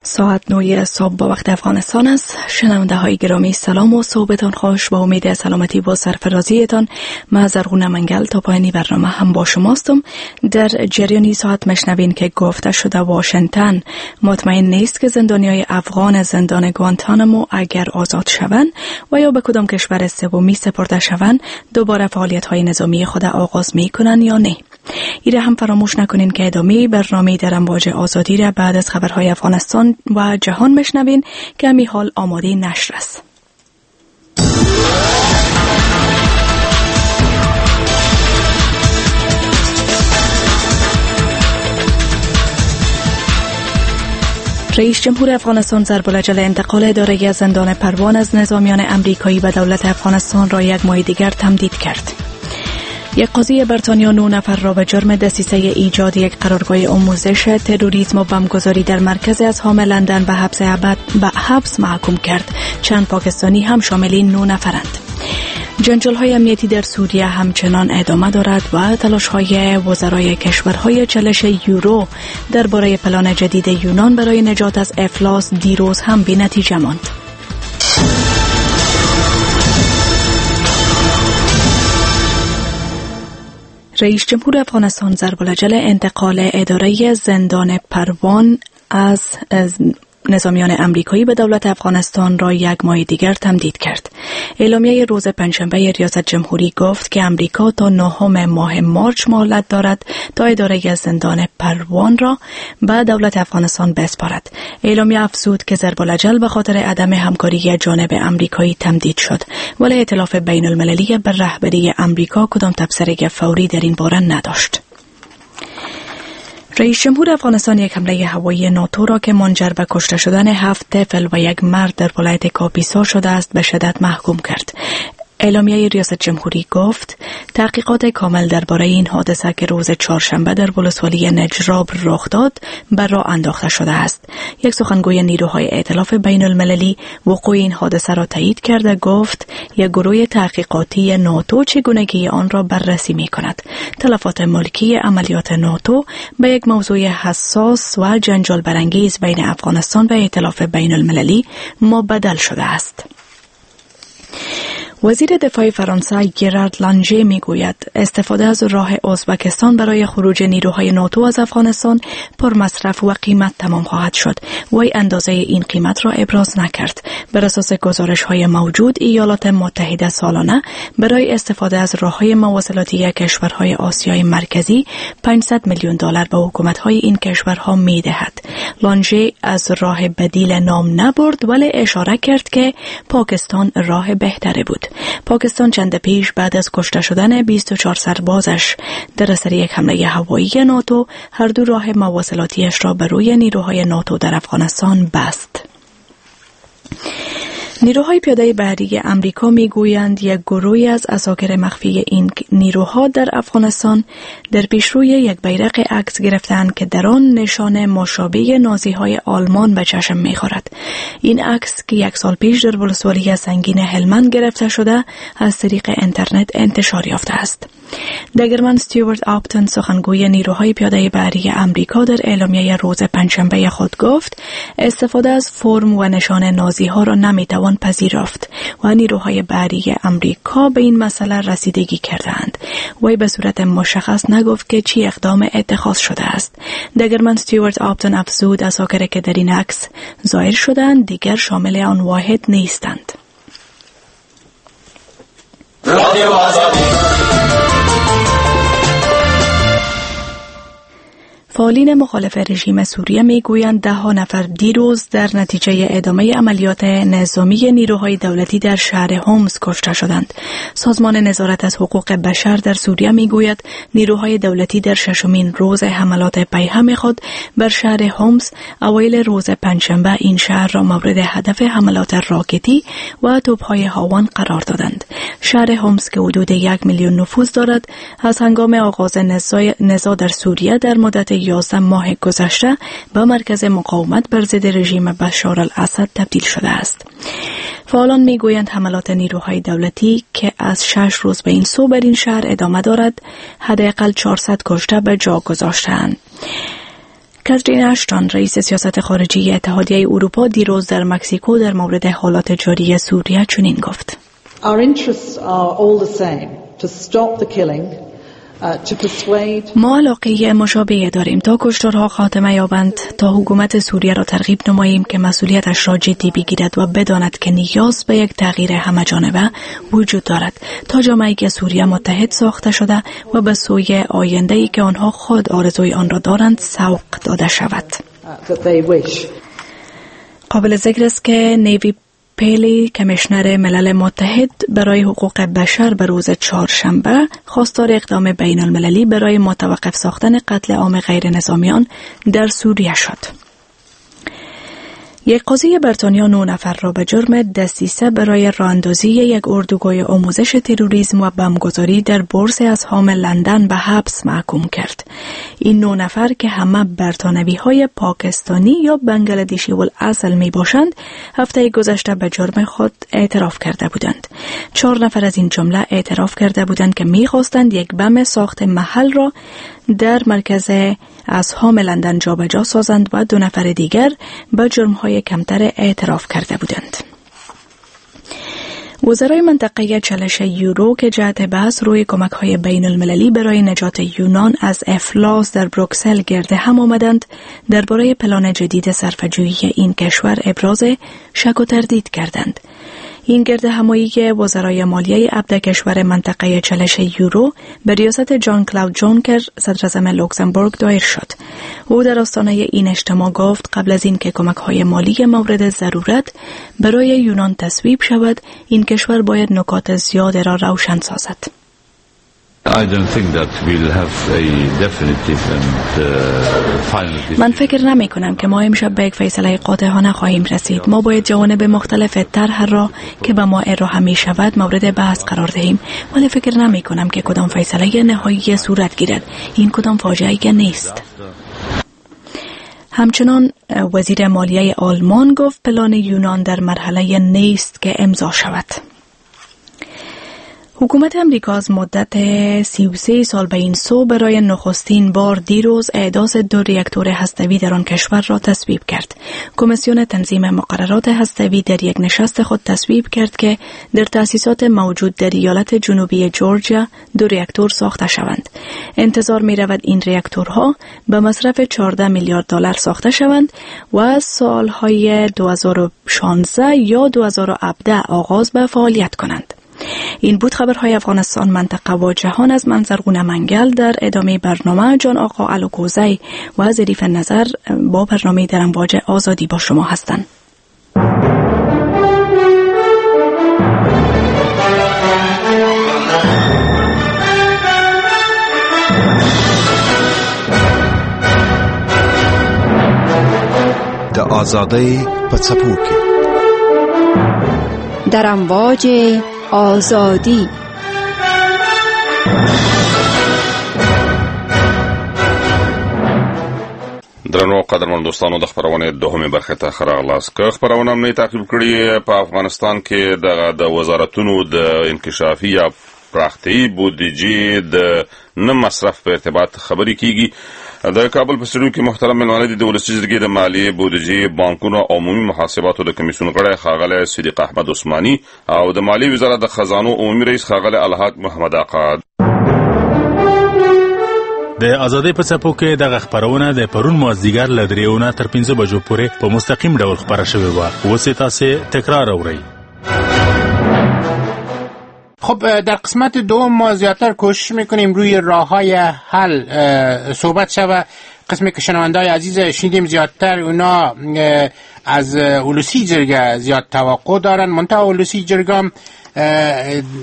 ساعت 9 صبح با وقت افغانستان است. شنونده های گرامی سلام و صحبتان خوش، با امید سلامتی و سرفرازیتان. من زرغونه منگل تا پایانی برنامه هم با شماستم. در جریان ساعت مشنوین که گفته شده واشنگتن مطمئن نیست که زندانیای افغان زندان گوانتانامو اگر آزاد شوند و یا به کدام کشور سومی سپرده شوند دوباره فعالیت های نظامی خود آغاز میکنن یا نه. ایره هم فراموش نکنین که ادامه برنامه در امواج آزادی را بعد از خبرهای افغانستان و جهان مشنوین که همی حال آماده نشر است. رئیس جمهور افغانستان ضرب العجل انتقال اداره زندان پروان از نظامیان امریکایی به دولت افغانستان را یک ماه دیگر تمدید کرد. یک قاضی بریتانیا 9 نفر را به جرم دسیسه ایجاد یک قرارگاه آموزش تروریسم و بمبگذاری در مرکز ازحام لندن به حبس ابد به حبس محکوم کرد. چند پاکستانی هم شامل این 9 نفرند. جنجال‌های امنیتی در سوریه همچنان ادامه دارد و تلاش‌های وزرای کشورهای چالش یورو درباره پلان جدید یونان برای نجات از افلاس دیروز هم بی‌نتیجه ماند. رئیس جمهور افغانستان ضرب العجل انتقال اداره زندان پروان از نظامیان امریکایی به دولت افغانستان را یک ماه دیگر تمدید کرد. اعلامیه روز پنجشنبه ریاست جمهوری گفت که امریکا تا 9 ماه مارچ مهلت دارد تا اداره زندان پروان را به دولت افغانستان بسپارد. اعلامیه افزود که ضرب العجل به خاطر عدم همکاری جانب امریکایی تمدید شد، ولی ائتلاف بین المللی به رهبری امریکا کدام تبصره فوری در این باره نداشت. رئیس جمهور افغانستان یک حمله هوایی ناتو را که منجر به کشته شدن 7 طفل و یک مرد در ولایت کاپیسا شده است به شدت محکوم کرد. اعلامیه ریاست جمهوری گفت تحقیقات کامل درباره این حادثه که روز چهارشنبه در ولسوالی نجراب رخ داد بر راه انداخته شده است. یک سخنگوی نیروهای ائتلاف بین المللی وقوع این حادثه را تایید کرده گفت یک گروه تحقیقاتی ناتو چگونگی آن را بررسی می کند. تلفات ملکی عملیات ناتو به یک موضوع حساس و جنجال برانگیز بین افغانستان و ائتلاف بین المللی مبدل شده است. وزیر دفاع فرانسه گرارد لانژه میگوید استفاده از راه ازبکستان برای خروج نیروهای ناتو از افغانستان پرمصرف و قیمت تمام خواهد شد. وی اندازه این قیمت را ابراز نکرد. بر اساس گزارش‌های موجود ایالات متحده سالانه برای استفاده از راه‌های مواصلاتی کشورهای آسیای مرکزی 500 میلیون دلار به حکومت‌های این کشورها می‌دهد. لانژه از راه بدیل نام نبرد ولی اشاره کرد که پاکستان راه بهتری بود. پاکستان چند پیش بعد از کشته شدن 24 سربازش در اثر یک حمله هوایی ناتو هر دو راه مواصلاتیش را بر روی نیروهای ناتو در افغانستان بست. نیروهای پیاده بحری امریکا میگویند یک گروهی از عساکر مخفی این نیروها در افغانستان در پیشروی یک بیرق عکس گرفتند که در آن نشان مشابه نازی‌های آلمان به چشم می‌خورد. این عکس که یک سال پیش در ولسوالی سنگین هلمند گرفته شده از طریق اینترنت انتشار یافته است. دگرمن استیوارت آپتون سخنگوی نیروهای پیاده بحری امریکا در اعلامیه روز پنجشنبه خود گفت استفاده از فرم و نشان نازی‌ها را نمی‌توان پذیرفت و نیروهای بحری امریکا به این مسئله رسیدگی کردند. وی به صورت مشخص نگفت که چی اقدام اتخاذ شده است. دگرمن استیوارت آپتون افزود عساکر که در این عکس ظاهر شدند دیگر شامل آن واحد نیستند. رادیو آزادی. فعالین مخالف رژیم سوریه میگویند 10 نفر دیروز در نتیجه ادامه عملیات نظامی نیروهای دولتی در شهر حمص کشته شدند. سازمان نظارت از حقوق بشر در سوریه میگوید نیروهای دولتی در ششمین روز حملات پیهم خود بر شهر حمص اوایل روز پنجشنبه این شهر را مورد هدف حملات راکتی و توپ‌های هاوان قرار دادند. شهر حمص که حدود 1 میلیون نفوس دارد از هنگام آغاز نزاع در سوریه در مدت 11 ماه گذشته به مرکز مقاومت بر ضد رژیم بشار الاسد تبدیل شده است. فعالان میگویند حملات نیروهای دولتی که از 6 روز به این سو بر این شهر ادامه دارد حداقل 400 کشته به جا گذاشتند. کاترین اشتون، رئیس سیاست خارجی اتحادیه اروپا، دیروز در مکزیکو در مورد حالات جاری سوریه چنین گفت: Our interests are all the same, to stop the killing, to persuade ما علاقه مشابه داریم تا کشتارها خاتمه یابند، تا حکومت سوریه را ترغیب نماییم که مسئولیتش را جدی بگیرد و بداند که نیاز به یک تغییر همه جانبه وجود دارد تا جامعه سوریه متحد ساخته شده و به سوی آینده‌ای که آنها خود آرزوی آن را دارند سوق داده شود. that they wish. قابل ذکر است که ناوی پیلی، کمیشنر ملل متحد برای حقوق بشر، به روز چهارشنبه خواستار اقدام بین المللی برای متوقف ساختن قتل عام غیر نظامیان در سوریه شد. یک قاضی بریتانیا 9 نفر را به جرم دسیسه برای راه‌اندازی یک اردوگاه آموزش تروریسم و بمبگذاری در بورس اسهام لندن به حبس محکوم کرد. این 9 نفر که همه برتانوی های پاکستانی یا بنگلادشی الاصل می باشند، هفته گذشته به جرم خود اعتراف کرده بودند. 4 نفر از این جمله اعتراف کرده بودند که می خواستند یک بم ساخت محل را در مرکز اسهام لندن جابجا سازند و 2 نفر دیگر به جرم‌های کمتر اعتراف کرده بودند. وزرای منطقه چالش یورو که جهت بحث روی کمک‌های بین المللی برای نجات یونان از افلاس در بروکسل گرد هم آمدند، درباره پلان جدید صرفه‌جویی این کشور ابراز شک و تردید کردند. این گرد همایی وزرای مالیه 17 کشور منطقه چالش یورو به ریاست جان کلاود جونکر، صدراعظم لوکزامبورگ، دایر شد. او در آستانه این اجتماع گفت قبل از اینکه کمک‌های مالی مورد ضرورت برای یونان تصویب شود، این کشور باید نکات زیاد را روشن سازد. I don't think that we'll have a definitive and final decision. من فکر نمی کنم که ما امشب به یک فیصله قاطعانه خواهیم رسید. ما باید جوانب مختلف طرح را که به ما ارائه می شود مورد بحث قرار دهیم، ولی فکر نمی کنم که کدام فیصله نهایی صورت گیرد. این کدام فاجعه نیست. همچنان وزیر مالیه آلمان گفت پلان یونان در مرحله نیست که امضا شود. حکومت امریکا از مدت 33 سال به این سو برای نخستین بار دیروز احداث 2 ریاکتور هستوی در آن کشور را تصویب کرد. کمیسیون تنظیم مقررات هستوی در یک نشست خود تصویب کرد که در تأسیسات موجود در ایالت جنوبی جورجیا 2 ریاکتور ساخته شوند. انتظار می رود این ریاکتورها به مصرف 14 میلیارد دلار ساخته شوند و سالهای 2016 یا 2017 آغاز به فعالیت کنند. این بود خبرهای افغانستان، منطقه و جهان از منظرگون منگل. در ادامه برنامه جان آقا الکوزی و ظریف نظر با برنامه در امواج آزادی با شما هستند. د آزادۍ په څپو کې، در امواج آزادی. درنو قدرمن دوستانو، د خبرونه دوهمه برخه ته ښه راغلاست. که خبرونه مې تعقیب کړي، په افغانستان کې دغه د وزارتونو د انکشافي یا پراختیایي بودیجې د نه مصرف په ارتباط خبرې کیږي. د کابل په سټډیو کې محترم مېلمانه دي د ولسي جرګې د مالیې، بودیجې، بانکونو او عمومي محاسباتو د کمیسیون غړی ښاغلی صدیق احمد عثماني او د مالیې وزارت د خزانو عمومي رئیس ښاغلی الحاج محمد آقا. د ازادۍ په څپو کې دغه خپرونه د پرون مازدیګر له 3 نه تر 5 بجو پورې په مستقیم ډول خپره شوې وه. اوس یې تاسې تکرار اورئ. خب در قسمت دوم ما زیادتر کوشش میکنیم روی راه‌های حل صحبت شود. قسمی که شنونده‌های عزیز شنیدیم زیادتر اونا از ولسی جرگه زیاد توقع دارن، منتها ولسی جرگه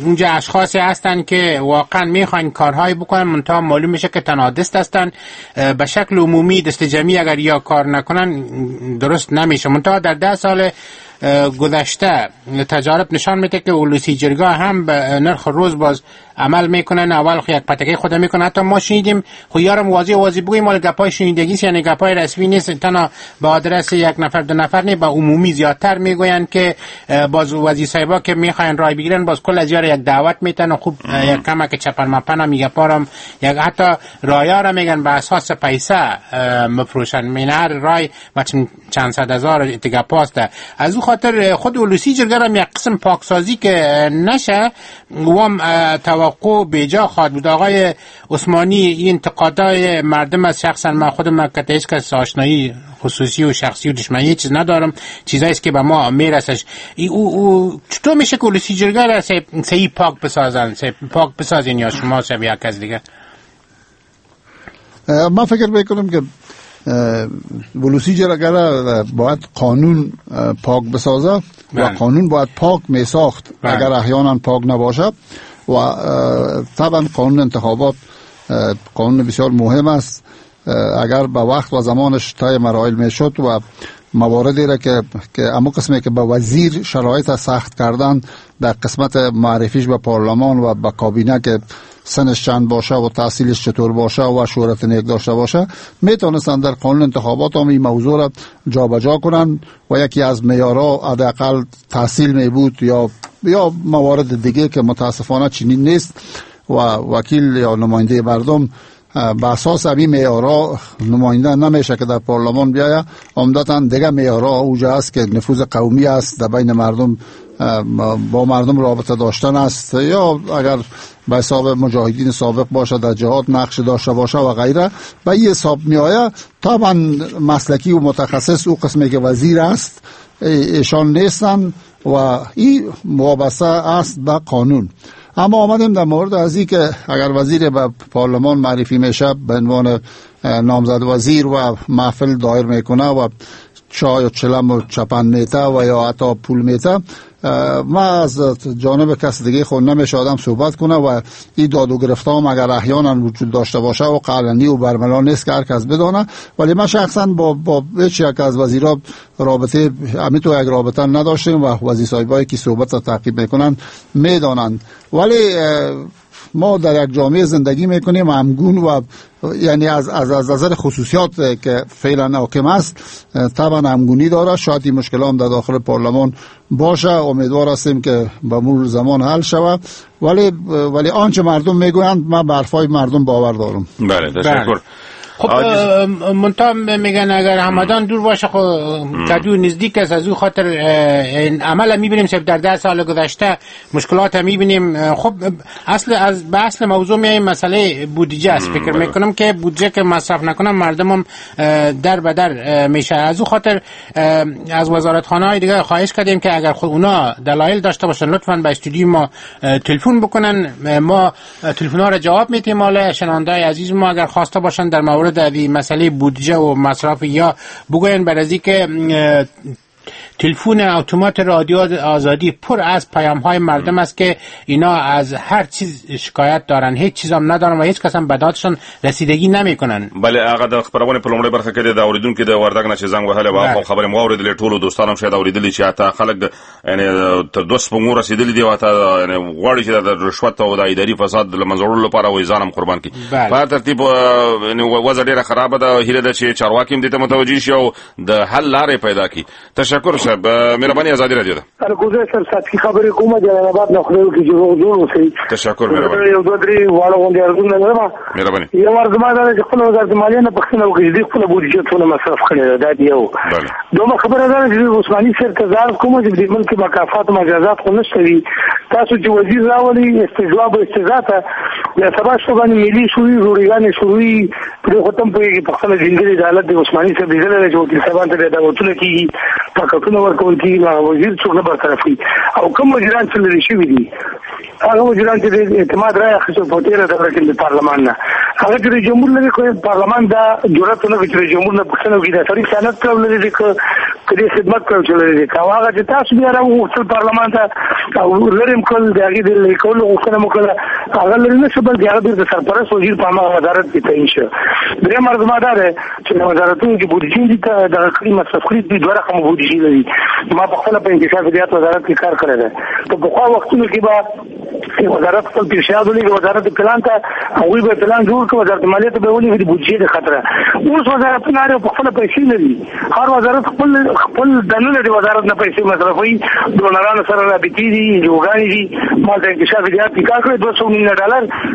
اونجا اشخاصی هستن که واقعا میخوان کارهای بکنن، منتها معلوم میشه که تنها دست هستن. به شکل عمومی دست جمعی اگر یا کار نکنن درست نمیشه. منتها در 10 سال گذشته تجارب نشان میده که ولسی جرگه هم به نرخ روز باز عمل میکنن. اول خو یک پتکه خود میکنن، حتی ما شنیدیم خو یارم واضح بگویم مال گپای شنیدگی است، یعنی گپای رسمی نیست، تنها به آدرس یک نفر دو نفر نه، به عمومی زیادتر میگوین که باز وزیر صاحبا که میخواین رای بگیرن باز کل از یار یک دعوت میتن و خوب یک کمک چپن مپن میگه پارم یک حتی رایا را میگن به اساس پیسه مفروشن، مینر رای و چند صد هزار دیگه پاسته. از او خاطر خود ولسی جرگه را یک قسم پاکسازی که نشه وام توقع بیجا خواهد بود. آقای عثمانی این انتقادهای مردم از شخصا من خودم که هیچ کس آشنایی خصوصی و شخصی و دشمنی چیز ندارم، چیزایی است که به ما میرسش. او چطور میشه که ولسی جرگه را صحیح پاک بسازن، پاک بسازین یا شما یا یک کس دیگه؟ من فکر میکنم که ولسی جرگه را باید قانون پاک بسازه و قانون باید پاک میساخت اگر احیانا پاک نباشد. و طبعا قانون انتخابات قانون بسیار مهم است، اگر به وقت و زمانش طی مراحل میشد و مواردی را که امو قسمی که به وزیر شرایط سخت کردن در قسمت معرفیش به پارلمان و به کابینه که سنش چند باشه و تحصیلش چطور باشه و شهرت نیک داشته باشه، میتونستن در قانون انتخابات هم این موضوع را جابجا کنن و یکی از معیارها حداقل تحصیل می بود یا موارد دیگه که متاسفانه چنین نیست و وکیل یا نماینده مردم به اساس همین معیارها نماینده نمیشه که در پارلمان بیاید. عمدتاً دیگه معیارها اوجه است که نفوذ قومی است، در بین مردم با مردم رابطه داشتن است، یا اگر به حساب مجاهدین سابق باشه در جهاد نقش داشته باشه و غیره و این حساب می آید. طبعا مسلکی و متخصص او قسمی که وزیر است ایشان نیستن و این وابسته است به قانون. اما آمدیم در مورد از این که اگر وزیر به پارلمان معرفی میشه به عنوان نامزد وزیر و محفل دایر میکنه و چای و چلم و چپن میته و یا حتی پول میته، ما از جانب کس دیگه خود نمیشه آدم صحبت کنه و این داد و گرفت هم اگر احیانا وجود داشته باشه و قلنی و برملا نیست که هر کس بدانه. ولی من شخصا با هیچ یک از وزیرا رابطه همین تو یک رابطه نداشتیم و وزیر صاحبایی که صحبت را تعقیب میکنن میدانند. ولی ما در یک جامعه زندگی میکنیم همگون و یعنی از نظر خصوصیات که فعلا حاکم است طبعا همگونی داره. شاید این مشکل هم در داخل پارلمان باشه، امیدوار هستیم که به مرور زمان حل شود. ولی آنچه مردم میگویند من به حرفای مردم باور دارم. بله تشکر. خب منتها میگن اگر همدان دور باشه خب کدو نزدیک است، از او خاطر این عمل میبینیم در 10 سال گذشته مشکلات میبینیم. خب اصل از به اصل موضوع میایم، مسئله بودجه است. فکر میکنم که بودجه که مصرف نکنم مردمم در به در میشه. از او خاطر از وزارتخانه های دیگه خواهش کردیم که اگر خود اونا دلایل داشته باشن لطفاً به استودیو ما تلفن بکنن، ما تلفن ها را جواب میدیم. حالا شنونده‌های عزیز ما اگر خواسته باشن در مورد در مسئله بودجه و مصرف یا بگوین بر از که تلفن اتومات رادیو آزادی پر از پیام های مردم است که اینا از هر چیز شکایت دارن، هیچ چیز هم ندارن و هیچ کس هم به دادشان رسیدگی نمیکنن. بله هغه د خپرونې په لومړۍ برخه کې د اوریدونکو د وردګ نه چې زنګ وهلی و هغه خبرې مو اورېدلې، ټولو دوستانو هم شاید اورېدلې چې حتی خلک یعنی تر دوه سپوږمو رسېدلي دي او حتی یعنی غواړي چې د رشوت او د اداري فساد له منځه وړلو لپاره وایي ځان هم قربان کړي. په هر ترتیب یعنی وضع ډېره خرابه ده، هیله ده چې چارواکي هم دې ته متوجه شي او د حل لارې پیدا کړي. تشکر صاحب، مهرباني ازادي رادیو ده. ارګوزه سر ساتي خبرې کومه جلال آباد نه خدای وکړي چې روغ جوړ اوسئ. تشکر مهرباني. یو دوه درې واړه غونډې ارزونه لرم. مهرباني. یو ارزو ما دا چې خپل وزارت مالیې نه پوښتنه وکړي چې دوی خپله بودیجه څونه مصرف کړې ده، دا یو. دومره خبره ده چې عثماني صاحب ته زه عرض کوم چې د ملک مکافات مجازات خو نشته وي. تاسو چې وزیر راولي استجواب او استیضاح ته بیا سبا شپه باندې ملي شوي روړیګانې شروع پرې خو تم پوهېږي په خپله ځینګړې عدالت د عثماني صاحب لیدلی دی چې وکیل صاحبان ته بیا دعوتونه کېږي، پاکټونه ورکول کېږي، هغه وزیر څوک نه برطرف کوي. او کوم وزیران چې لرې شوي دي هغه وزیران چې د اعتماد رایه اخیستل په تېره دوره کې د پارلمان نه هغه چې جمهور لري خو پارلمان دا جرأت نه کوي چې جمهور نه پوښتنه وکړي دا سړي خیانت کړو لري چې کدي خدمت کړو چې لري هغه چې تاسو بیا راوغوښتل پارلمان ته او لري کول د هغې د لرې کولو غوښتنه مو کړله، هغه لرې نه شو بلکې هغه بېرته سرپرست وزیر په هماغه وزارت کې تعین شو. درېیم عرض ما دا دی چې د وزارتونو چې بودیجې دي دغه کړي مصرف کړي دوی دوه رقمه بودیجې لري. ما په خپله په انکشاف دهات وزارت کې کار کړی دی. په پخوا وختونو کې به وزارت خپل پیشنهاد ولېږي وزارت پلان ته، هغوی به پلان جوړ کړي، وزارت مالیې ته به ولېږي د بودیجې د خاطره. اوس وزارتونه هر یو په خپله پیسې لري، هر وزارت خپل خپل دننه د وزارت نه پیسې مصرفوي، ډونرانو سره رابطې دي، انجوګانې دي. ما د انکشاف دهات کې کار کړی، $200 میلیونه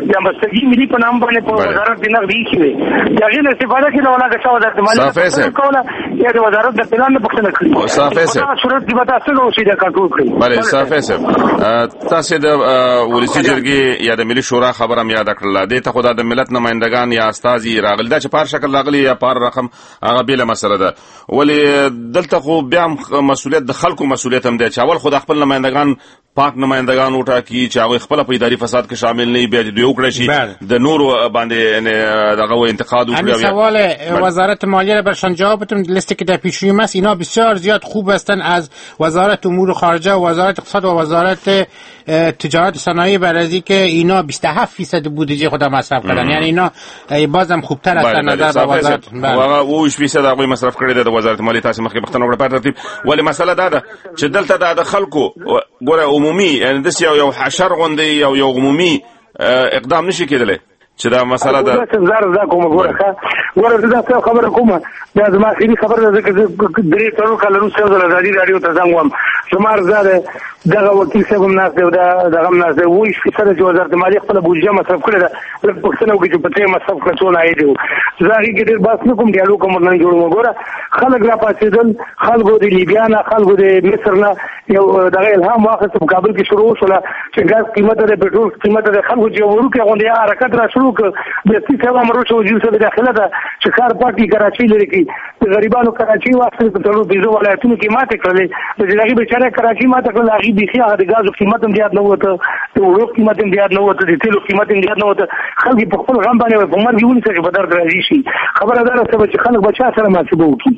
د همبستګي ملي په نام باندې په وزارت کې نغدي ایښې وې، د هغې نه استفاده کېده. ولاکه چا وزارت مالیې کوله یا د وزارت د پلان نه پوښتنه کړې. صافی صاحب په صورت کې به تاسو څنګه اوسئ دا کنټرول کړئ؟ بله صافی صاحب، تاسې د ولسي جرګې یا د ملي شورا خبره هم یاده کړله، دې ته خو دا د ملت نمایندګان یا استازي راغلي، دا چې په هر شکل راغلي یا په هر رقم هغه بېله مسله ده، ولې دلته خو بیا هم مسؤلیت د خلکو مسؤلیت هم دی چې اول خو د خپل نمایندګان پاک نمایندګان وټاکي چې هغوی خپله په اداري فساد کې شامل نه وي، بیا دې دوی وکړای شي د نورو باندې دغه انتقاد وکړي. همین سوال وزارت مالیه را برشان جواب بدم. لیستی که در پیش رویم است اینا بسیار زیاد خوب هستند، از وزارت امور خارجه و وزارت اقتصاد و وزارت تجارت صنایع برازی که اینا 27% بودجه خود مصرف کردن، یعنی اینا بازم خوبتر هستند نظر به وزارت. هغه 27% هغوی مصرف کړی دی د وزارت مالیې. تاسې مخکې پوښتنه وکړه په ترتیب، ولې مسله دا ده چې دلته دا د خلکو ګوره عمومي یعنی داسې یو حشر غوندې یو عمومي اقدام نشي کېدلی چې دا مسله ده. زه کومه ګوره ګوره زه دا خبره کومه، دا زما اخري خبره ده، ځکه زه 3-4 کاله وروسته یو ځل ازادي راډیو ته زنګ وم. زما عرض دا دی دغه وکیل صاحب هم ناست دی او دغه هم ناست دی، 27% چې وزارت مالیې خپله بودیجه مصرف کړې ده، لږ پوښتنه وکړي چې په څه یې مصرف کړه، څونه عاید یې و. زه هغې کې ډېر بحث نه کوم، ډیالوګ هم ورنن جوړوم. ګوره خلک راپاڅېدل، خلکو د لیبیا نه، خلکو د مصر نه یو دغه الهام واخیست، په کابل کې شروع وشوله چې ګاز قیمته دی، پټرول قیمته دی. خلکو چې یو وړوکی غوندې حرکت را شروع کړ، دستي صاحب امر وشو وزیر صاحب داخله ده چې ښار پاک کړي، کراچۍ لرې کړي. د غریبانو کراچۍ واخیستل، په 4-5 ولایتونو کې ماتې کړلې. چې هغې بېچاره کراچۍ ماته کړله، هغې بیخي هغه د ګازو قیمت هم زیات نه ووته، د اوړو قیمت هم زیات نه ووته، د تېلو قیمت هم زیات نه ووته. خلک یې په خپل غم باندې په مرګ یې ونیسه چې په درد راضي شي. خبره دا ده چې خلک به چا سره محاسبه وکړي؟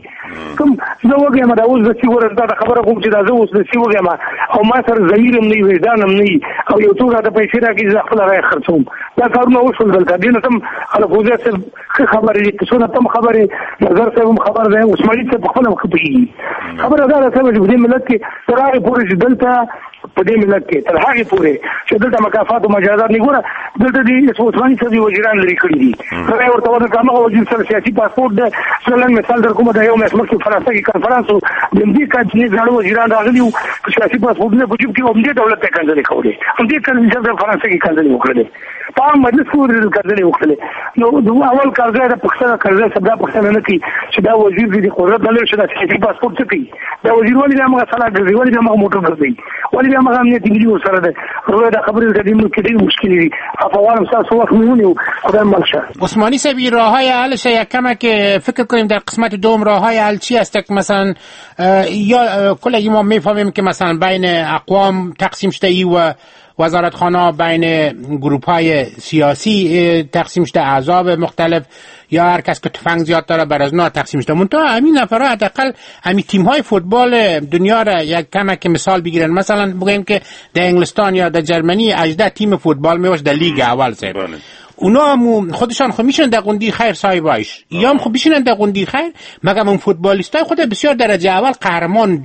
کوم زه وږی یم، دا اوس دستي ګوره دا خبره کوم چې دا زه اوس دستي وږی یم او ما سره ضمیر هم نه وي، وجدان هم نه وي، او یو څوک راته پیسې راکړي زه خپله رایه خرڅوم. دا کارونه وشول دلته. دې نه تم الکوزی صاحب ښه خبرې دي، څونه تم خبرې، نظر صاحب هم خبر دی، عثماني صاحب په خپله هم ښه پوهېږي. خبره دا ده صاحب چې په دې ملت کې تر هغې پورې چې دلته په دې ملت کې تر هغې پورې چې دلته مکافات او مجازات نه ګوره، دلته د عثماني صاحب وزیران لرې کړي دي، رایه ورته ورنکړه. هماغه وزیر سره سیاسي پاسپورټ دی. زه لنډ مثال در کوم، د یو میاشت مخکې فرانسه کې کنفرانس و، د همدې کابینې زاړه وزیران راغلي وو، سیاسي پاسپورټونه په جیب کې وو، همدې دولت ته کنځلې کولې، همدې کرزي صاحب فرانسه کې کنځلې وکړلې، په عام مجلس کې ودرېدل کنځلې وکړلې. نو اول کرزی د پوښتنه، کرزی صاحب دا پوښتنه نه کوي چې دا وزیر دې قدرت نه لري چې دا سیاسي پاسپورټ څه کوي، دا وزیر ولې بیا همغه سلاح ګرځي، ولې بیا همغه موټر ګرځي، ولې بیا همغه امنیتي ملي ورسره دی. وروره دا خبرې د دې ملک کې ډېرې مشکلې دي. افغانم ستاسو وخت مې ونیو، خدای مل شه. عثمانی صاحب این راههای حلش یک کمه که فکر کنیم در قسمت دوم راههای حل چی است که مثلا یا کلگی ما میفهمیم که مثلا بین اقوام تقسیم شده ای و وزارتخانه بین گروپ های سیاسی تقسیم شده، احزاب مختلف یا هر کس که تفنگ زیاد داره بر از اونا تقسیم شده. منتها همین نفرها حداقل همین تیم های فوتبال دنیا را یک کمک مثال بگیرن. مثلا بگوییم که در انگلستان یا در جرمنی 18 تیم فوتبال میباشه در لیگ اول صاحب. اونا هم خودشان خو میشن در قندی خیر صاحبایش یا هم خو بشینن در قندی خیر، مگم اون فوتبالیستای خود بسیار درجه اول قهرمان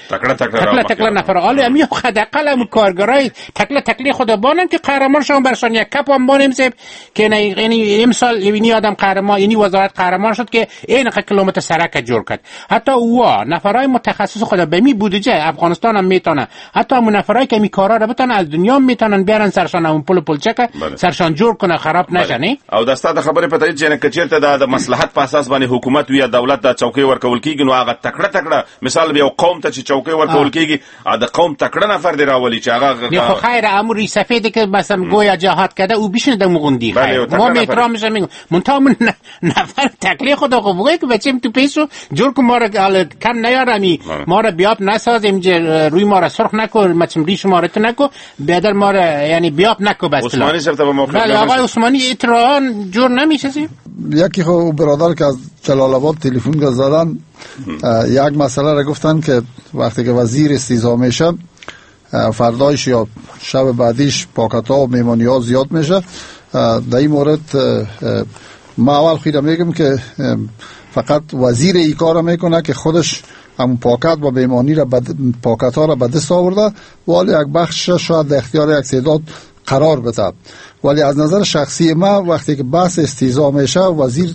تکله تکله نفر عالی امی حداقل هم کارگرای تکله تکله خود بانن که قهرمان شون برشان یک کپ هم بانیم صاحب که نه، یعنی امسال یعنی آدم قهرمان، یعنی وزارت قهرمان شد که این کیلومتر سرک جور کرد. حتی او نفرای متخصص خود به می بودجه افغانستان هم میتونه، حتی اون نفرای که می کارا رو بتونه از دنیا میتونن بیارن سرشان اون پول پولچک سرشان جور کنه خراب نشه. نه او د ستا د خبرې په تایید چې که چېرته دا د مصلحت په اساس باندې حکومت وي یا دولت دا چوکۍ ورکول کېږي، نو هغه تکړه تکړه مثال یو قوم ته چې چوکۍ ورکول کېږي د قوم تکړه نفر دی راولي چې هغه خو خیر امر سفید که مثلا گویا جهاد کرده او بشینه د مغوندی خیر ما احترامش میگم منتها من نفر تکلی خدا خو بگه که بچیم تو پیسو جور کو ما را کم نیارمی ما را بیاب نسازیم روی ما را سرخ نکن مچم ریش ما را نکو بیادر ما را یعنی بیاب نکو بس. عثمانی صاحب ته موقع بله آقای عثمانی اطلاعان جور نمیشه؟ یکی خب برادر که از جلال آباد تلفن زدن یک مسئله را گفتن که وقتی که وزیر استیضاح میشه فردایش یا شب بعدیش پاکت ها و میمانی ها زیاد میشه. در این مورد ما اول خیلی میگم که فقط وزیر ای کار میکنه که خودش همون پاکت و بیمانی را پاکت ها را به دست آورده، ولی یک بخش شاید در اختیار یک تعداد قرار بده. ولی از نظر شخصی ما وقتی که بحث استیضاح میشه وزیر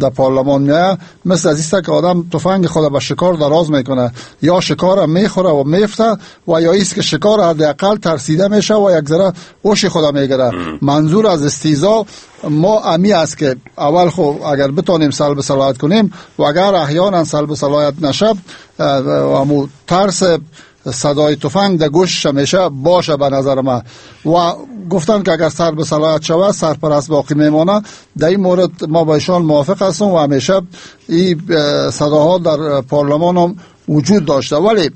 در پارلمان میاد، مثل از ایست که آدم تفنگ خود به شکار دراز میکنه، یا شکار میخوره و میفته و یا ایست که شکار حداقل ترسیده میشه و یک ذره هوش خود میگیره. منظور از استیضاح ما امی است که اول خو اگر بتونیم سلب صلاحیت کنیم و اگر احیانا سلب صلاحیت نشه و ترس صدای تفنگ در گوش میشه باشه به نظر من. و گفتن که اگر سر به صلاحیت شود سرپرست باقی میمانه. در این مورد ما با ایشان موافق هستم و همیشه این صداها در پارلمان هم وجود داشته. ولی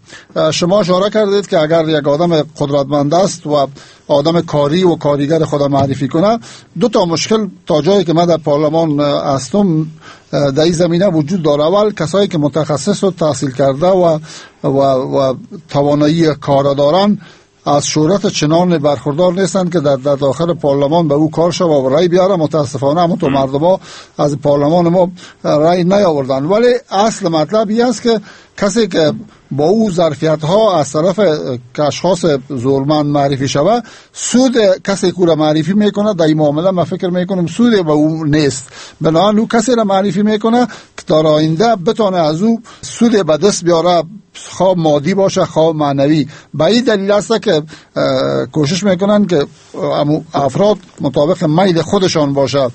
شما اشاره کردید که اگر یک آدم قدرتمند است و آدم کاری و کاریگر خود معرفی کنه، دو تا مشکل تا جایی که من در پارلمان هستم در این زمینه وجود داره. اول کسایی که متخصص و تحصیل کرده و و توانایی کار دارن از شهرت چنان برخوردار نیستند که در داخل پارلمان به او کار شود و رای بیاره. متاسفانه هم تو مردم ها از پارلمان ما رای نیاوردن. ولی اصل مطلب این است که کسی که با او ظرفیت ها از طرف اشخاص زورمند معرفی شود، سود کسی که او را معرفی میکنه در این معامله من فکر میکنم سود به او نیست. بنابراین او کسی را معرفی میکنه که در آینده بتونه از او سود به دست بیاره، خواه مادی باشه خواه معنوی. به این دلیل است که کوشش میکنن که افراد مطابق میل خودشان باشه.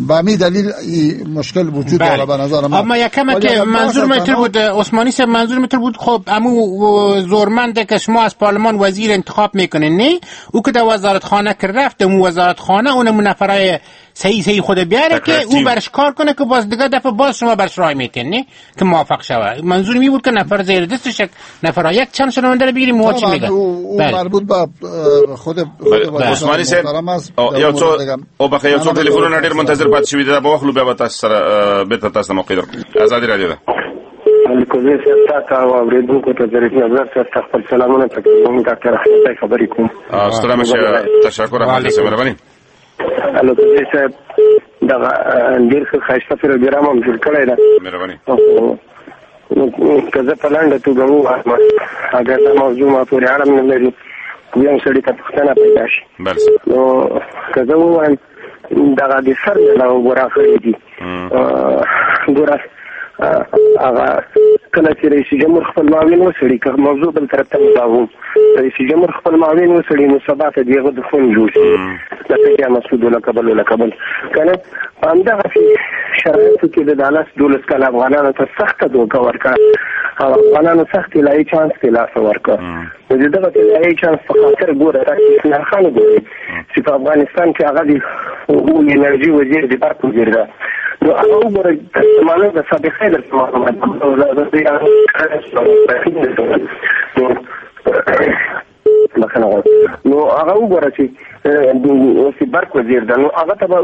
به همین دلیل این مشکل وجود داره به نظر من. اما یکم که منظور متر بود عثمانی صاحب، منظور متر بود خب امو زورمنده که شما از پارلمان وزیر انتخاب میکنین، نه او که در وزارت خانه که رفت امو وزارت خانه اونمو نفرای صحیح خود بیاره که او برش کار کنه که باز دیگه دفعه باز شما برش رای میتین، نه که موافق شوه. منظور می بود که نفر زیر دستش نفر یک چند شنونده رو بگیریم و چی میگه او مربوط به خود عثماني صاحب. یو څو او بخې یو څو ټلیفونونه ډیر منتظر پاتې شوي دي، دا به واخلو بیا به تاسو سره بیرته تاسو ته موقع درکړو. ازادي راډیو ده. الکوزی صاحب تاته او اورېدونکو ته ظریف نظر صاحب ته خپل سلامونه تقدیموم. ډاکټر احمد خبرې کوم. ستړی مه شئ، تشکر احمد صاحب، مهرباني. الکوزی صاحب دغه ډېر ښه ښایسته پروګرام هم جوړ کړی دی، مهرباني. که زه په لنډه توګه ووایم، اګر دا موضوع ما پورې اړه نه لري، بیا هم سړي ته پوښتنه پیدا شي. نو که زه ووایم دغه د سر نه اوبه راغلي دي، ګوره هغه کله چې رئیس جمهور خپل معاون وسړي، که موضوع بل طرف ته وځاوم، رئیس جمهور خپل معاون وسړي نو سبا ته د هغه دښمن جوړ شي، لکه یا مسعود لکه بل لکه بل که نه. په همدغسې شرایطو کې د دالس 12 کاله افغانانو ته سخته دوکه ورکړه او افغانانو سخت طلایي چانس ته لاسه ورکړ. نو د دغه طلایي چانس په خاطر ګوره تاسو اسماعیل خان وګورئ چې په افغانستان کې هغه د اوبو انرژي وزیر د برق وزیر ده، نو هغه وګوره معلومه د سابقې درته معلومه ده. نو هغه وګوره چې اوس برق وزیر ده، نو هغه ته به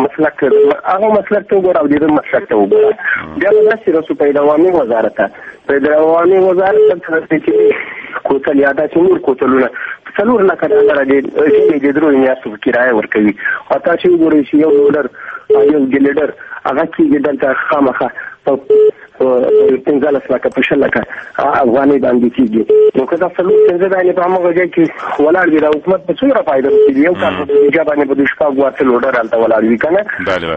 مسلک هغه مسلک ته وګوره او د ده مسلک ته وګوره. بیا به داسې رسو په دوامي وزارت ته، په دوامي وزارت ته چې کوتل یا داسې نور کوتلونه 4 لکه ډالره د ژمي د 3 میاشتو په کرایه ورکوي. او تاسې وګورئ چې یو لوډر یو ګلیډر هغه کېږي دلته خامخا په 15 لکه په 20 لکه افغانۍ باندې کېږي. نو که دا 4-5 دانې په هماغه ځای کې ولاړ وي، دا حکومت به څومره فایده ورکوي؟ یو کال په بودیجه باندې به د 6 لوډر هلته ولاړ وي که نه.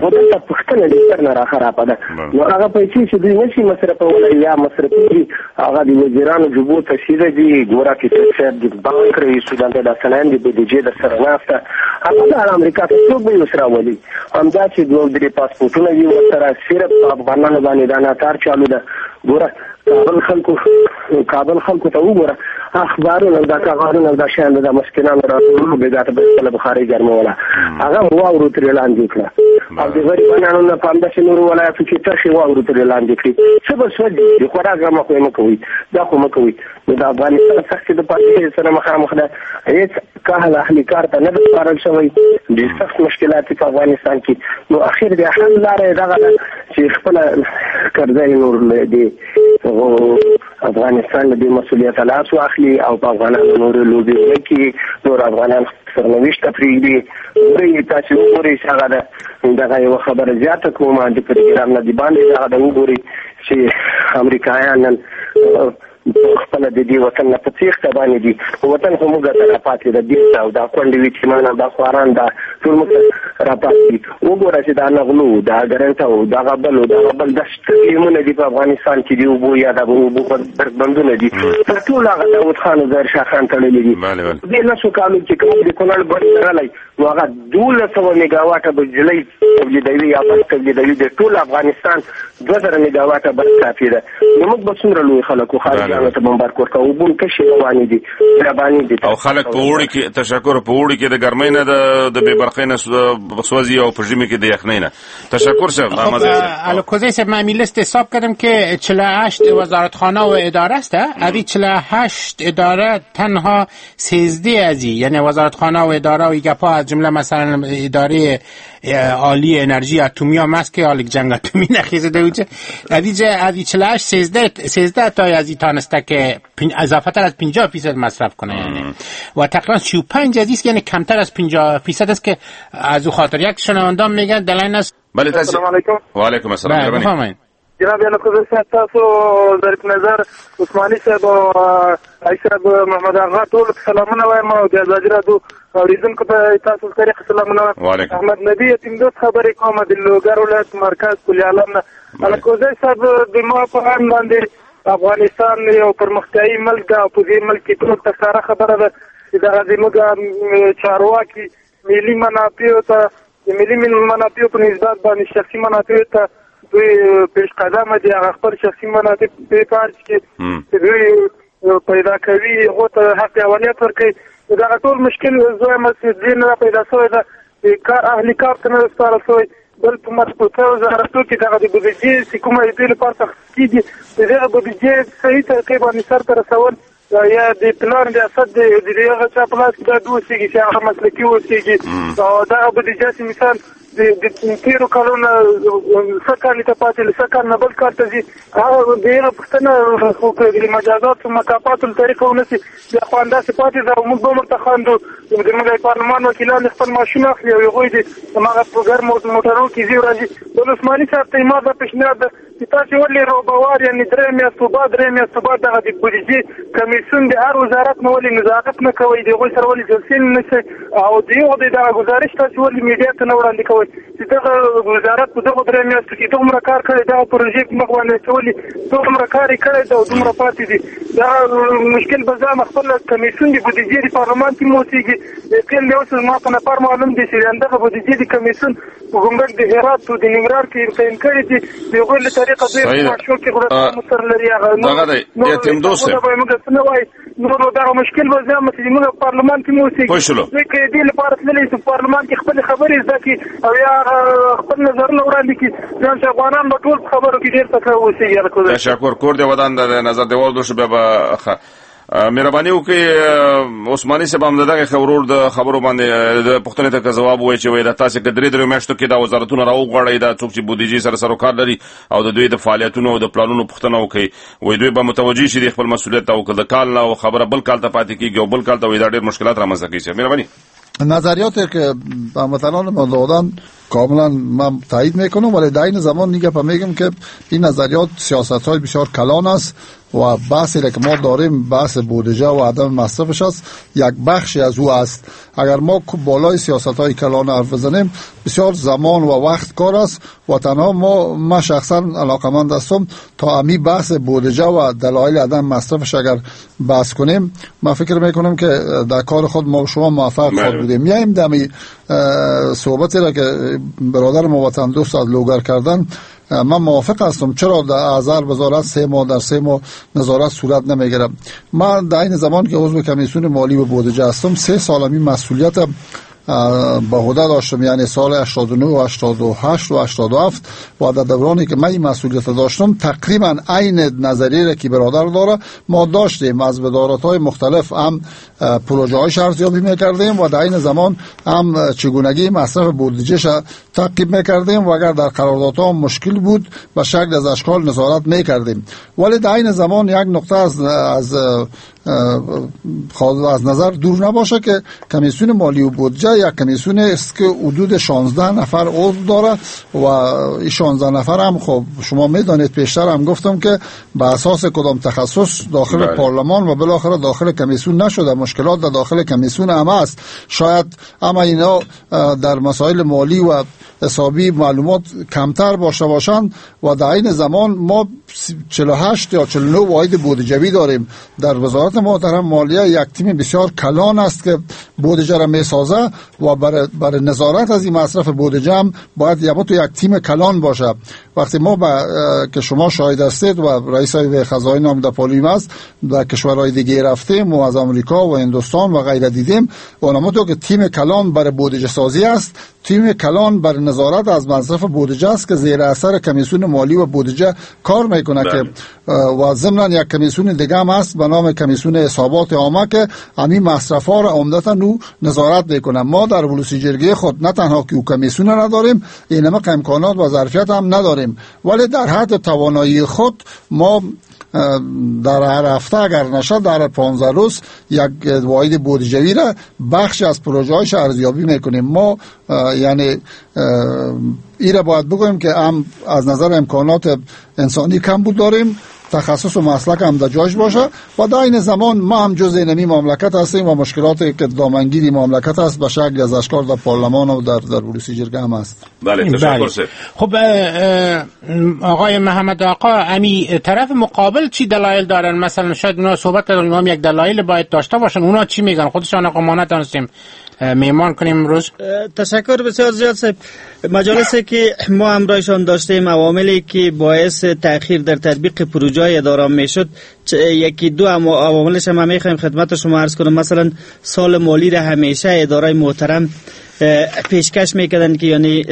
نو دلته پوښتنه د سر نه راخرابه ده. نو هغه پیسې چې دوی نه شي مصرفولی یا مصرفېږي، هغه د وزیرانو جبو ته سیده دي. ګوره فکر صاحب د بانک رئیس دلته د سلایم د بودیجې در سره ناسته، هغه د امریکا ته څوک به یې اوس راولي؟ همدا چې 2-3 پاسپورټونه وي ورسره، صرف په افغانانو باندې دا ناتار چالو ده. ګوره کابل خلکو ته وګوره، اخبارونه دا کاغذونه دا شیان د مسکینانو راټولولو بېګا ته به خپله بخارۍ ګرموله، هغه واورو ترې لاندې کړه. او د غریبانو نه په همداسې نورو ولایاتو کې ترخې واورو ترې لاندې کړي. څه به سوځي؟ د خوراک غمه خو یې مه کوئ، دا خو مه کوئ. نو د افغانستان سختې د پالیسۍ سره مخامخ ده، هېڅ کهل اهلي کار ته نه ده سپارل شوی، ډېر سخت مشکلات په افغانستان کې. نو اخر د حل لاره یې دغه ده چې خپله کرزی نور له دې افغانستان له دې مسؤلیته لاس واخلي او په افغانانو نورې لوبې ونه کړي، نور افغانان سرنوشت ته پرېږدي. ګورئ تاسې وګورئ چې هغه ده دغه یوه خبره زیاته کوم د پروګرام نه د باندې دغه ده، وګورئ چې امریکایان نن خپله د دې وطن نه په تېښته باندې دي. وطن خو موږ ته راپاتې ده بېرته، او دا کونډې وي چې معنا دا خواران دا ټول موږ ته راپاتې دي. وګوره چې دا نغلو، دا ګرنټه، دا غبل، دا غبل دا سټیمونه دي په افغانستان کې دي، اوبو یا د اوبو بندونه دي، تر ټولو هغه داود خان او ظاهر شاه خان تړلي دي. دې 10 کالو کې کوم د کونړ بند راغلی نو هغه 1200 میګاواټه بجلۍ تولیدوي یا برق تولیدوي، د ټول افغانستان 2000 میګاواټه برق کافي ده. نو موږ به څومره لوی خلک وو، خارجیانو ته بمبارک ورکوو، اوبه هم تشې روانې دي، بیابانې دي. او خلک په اوړي کې تشکر، په اوړي کې د ګرمۍ نه د بې برقۍ نه سوځي او په ژمي کې د یخنۍ نه. تشکر صاحب. الکوزی صاحب، من لیست حساب کردم که 48 وزارتخانه و اداره است. از این 48 اداره تنها 13 از یعنی وزارتخانه و اداره و گپا از جمله مثلا اداره عالی انرژی اتمی هم است که حال جنگ اتمی نخیزده اوجه از این 48 13 تا از این تانسته که اضافه تر از 50% مصرف کنه، یعنی و تقریبا 35 از یعنی کمتر از 50% است که از او خاطر یک شنوندان میگن دلایل است. بله السلام علیکم. و علیکم السلام. بفرمایید جناب الکوزی صاحب، تاسو ظریف نظر عثماني صاحب او صاحب محمد آغا ټول سلامونه وایم او د ازادي راډیو اورېدونکو ته تاسو طریق سلامونه. احمد نبی یتیم دوست خبرې کوم د لوګر ولایت مرکز کلی عالم نه. الکوزی صاحب، د ما په اند باندې افغانستان یو پرمختیایي ملک ده او په دې ملک کې ټول ته ښکاره خبره ده چې دغه زموږ چارواکي ملي منافعو ته، د ملي منافعو په نسبت باندې شخصي منافعو ته دوی پیش قدمه دي، هغه خپل شخصي منافع په کار کې چې دوی پیدا کوي هغو ته حق اولیت ورکوي. دغه ټول مشکل زه وایم چې دې نه پیدا شوی ده، د کار اهلي کار ته نه ده سپارل شوی. بل په مربوطه وزارتو کې دغه د بودیجې چې کومه د دې لپاره تخصیص کېږي، د دغه بودیجې صحیح طریقې باندې سرته رسول یا د پلان ریاست د هغه چا په لاس کې باید اوسېږي چې هغه مسلکي اوسېږي. او دغه بودیجه چې مثال د تېرو کلونو سږ کال ته پاتې، له سږ کال نه بل کال ته ځي، هغه د هغه پوښتنه خو که د مجازاتو مکافاتو له طریقه ونه سي بیا خو همداسې پاتې ده او موږ به هم ورته خاندو. زموږ پارلمان وکیلان خپل معاشونه اخلي او هغوی د هماغه په ګرمو موټرو کې ځي او راځي. بل عثماني صاحب ته ما دا پېشنهاد ده چې تاسې ولې روبوار یعنې 3 میاشتو بعد دغه د بودیجې کمیسیون د هر وزارت نه ولې نظارت نه کوئ، د هغوی سره ولې جلسې نه نیسئ او د هغو د دغه ګزارش تاسې ولې میډیا ته نه وړاندې کوئ چې دغه وزارت په دغو 3 میاشتو کې دومره کار کړی، دغه پروژې په مخ باندې اچولي، دومره کار یې کړی ده او دومره پاتې دي. دغه مشکل به ځان خپل کمیسیون د بودیجې د پارلمان کې اوسېږي. یقین دی اوس زما په نفر معلوم دی چې همدغه بودیجې د کمیسیون په ګمرک د هرات او د ننګرهار کې تعین کړي دي، د هغوی له طریقه دوی معاشو کې غلطان سره لري. هغه موږ څه نه وایي نور دغه مشکل به ځان چې موږ پارلمان کې اوسېږي. دوی که دې لپاره تللی چې پارلمان کې خپلې خبرې زده کړي او یا خپل نظرونه وړاندې کړي، ځان چې افغانان به ټول په خبرو کې ډېر تکړه اوسېږي. تشکر، کور دې ودان، د نظر دی وردو شو. بیا به مهرباني وکړئ عثماني صاحب هم دغه ورور د خبرو باندې د پوښتنې ته ځواب ووایي چې وایي دا تاسې که 3 میاشتو کې دا وزارتونه راوغواړئ، دا څوک چې بودیجې سره سروکار لري او د دوی د فعالیتونو او د پلانونو پوښتنه وکړي، وایي دوی به متوجه شي د خپل مسؤلیت ته او که د کال نه خبره بل کال ته پاتې کېږي او بل کال ته وایي دا ډېر مشکلات رامنځته کوي. مهرباني. نظریاتی که هموطنان ما دادن کاملا من تایید میکنم، ولی در این زمان دیگه میگم که این نظریات سیاست های بسیار کلان است و بحثی که ما داریم بحث بودجه و عدم مصرفش است، یک بخشی از او است. اگر ما بالای سیاست های کلان حرف بزنیم بسیار زمان و وقت کار است و تنها ما شخصا علاقمند هستم تا امی بحث بودجه و دلایل عدم مصرفش اگر بحث کنیم، من فکر میکنم که در کار خود ما شما موفق خواهد بودیم. میایم دمی صحبتی را که برادر ما وطن دوست از لوگر کردن، من موافق هستم. چرا در هزار وزارت 3 ماه در 3 ماه نظارت صورت نمیگیره؟ من در این زمان که عضو کمیسیون مالی و بودجه هستم 3 سال می مسئولیت به عهده داشتم، یعنی سال 89 و 88 و 87 و در دورانی که من این مسئولیت داشتم تقریبا عین نظریه را که برادر داره ما داشتیم. از وزارت‌های مختلف هم پروژه‌های ارزیابی می‌کردیم و در عین زمان هم چگونگی مصرف بودجه تعقیب می‌کردیم و اگر در قراردادها مشکل بود به شکل از اشکال نظارت می‌کردیم. ولی در عین زمان یک نقطه از نظر دور نباشه که کمیسیون مالی و بودجه یک کمیسیون است که حدود 16 نفر عضو داره و این 16 نفر هم خب شما میدانید، پیشتر هم گفتم که به اساس کدام تخصص داخل پارلمان و بالاخره داخل کمیسیون نشده. مشکلات در داخل کمیسیون هم است، شاید اما اینا در مسائل مالی و حسابی معلومات کمتر باشه باشند و در این زمان ما 48 یا 49 واحد بودجوی داریم. در وزارت محترم مالیه یک تیم بسیار کلان است که بودجه را میسازه و برای نظارت از این مصرف بودجه هم باید یک تیم کلان باشه. وقتی ما که شما شاهد هستید و رئیس خزاین هم در پالویم است، در کشورهای دیگه رفتیم و از آمریکا و هندوستان و غیره دیدیم و تو که تیم کلان برای بودجه سازی است، تیم کلان بر نظارت از مصرف بودجه است که زیر اثر کمیسیون مالی و بودجه کار میکنه که و ضمن یک کمیسیون دیگه هم هست به نام کمیسیون حسابات عامه که همین مصرف ها را عمدتا نو نظارت میکنه. ما در ولسی جرگه خود نه تنها که کمیسیون نداریم، اینما امکانات و ظرفیت هم نداریم، ولی در حد توانایی خود ما در هر هفته اگر نشد در 15 روز یک واحد بودجوی را بخش از پروژه هایش ارزیابی میکنیم. ما یعنی ای را باید بگویم که هم از نظر امکانات انسانی کم بود داریم، تخصص و مسلک هم در جایش باشه و در این زمان ما هم جزء نمی مملکت هستیم و مشکلاتی که دامنگیری مملکت است به شکل از اشکال در پارلمان و در ولسی جرگه هم است. بله تشکر. خب آقای محمد آقا، امی طرف مقابل چی دلایل دارن؟ مثلا شاید اونا صحبت کردن، اونا هم یک دلایل باید داشته باشن. اونا چی میگن؟ خودشان آقا ما نتونستیم میمان کنیم امروز. تشکر بسیار زیاد صاحب. مجالسی که ما همراهشان داشتیم، عواملی که باعث تأخیر در تطبیق پروژه اداره میشد، یکی دو عواملش هم میخوایم خدمت شما عرض کنم. مثلا سال مالی را همیشه اداره محترم پیشکش میکردن که یعنی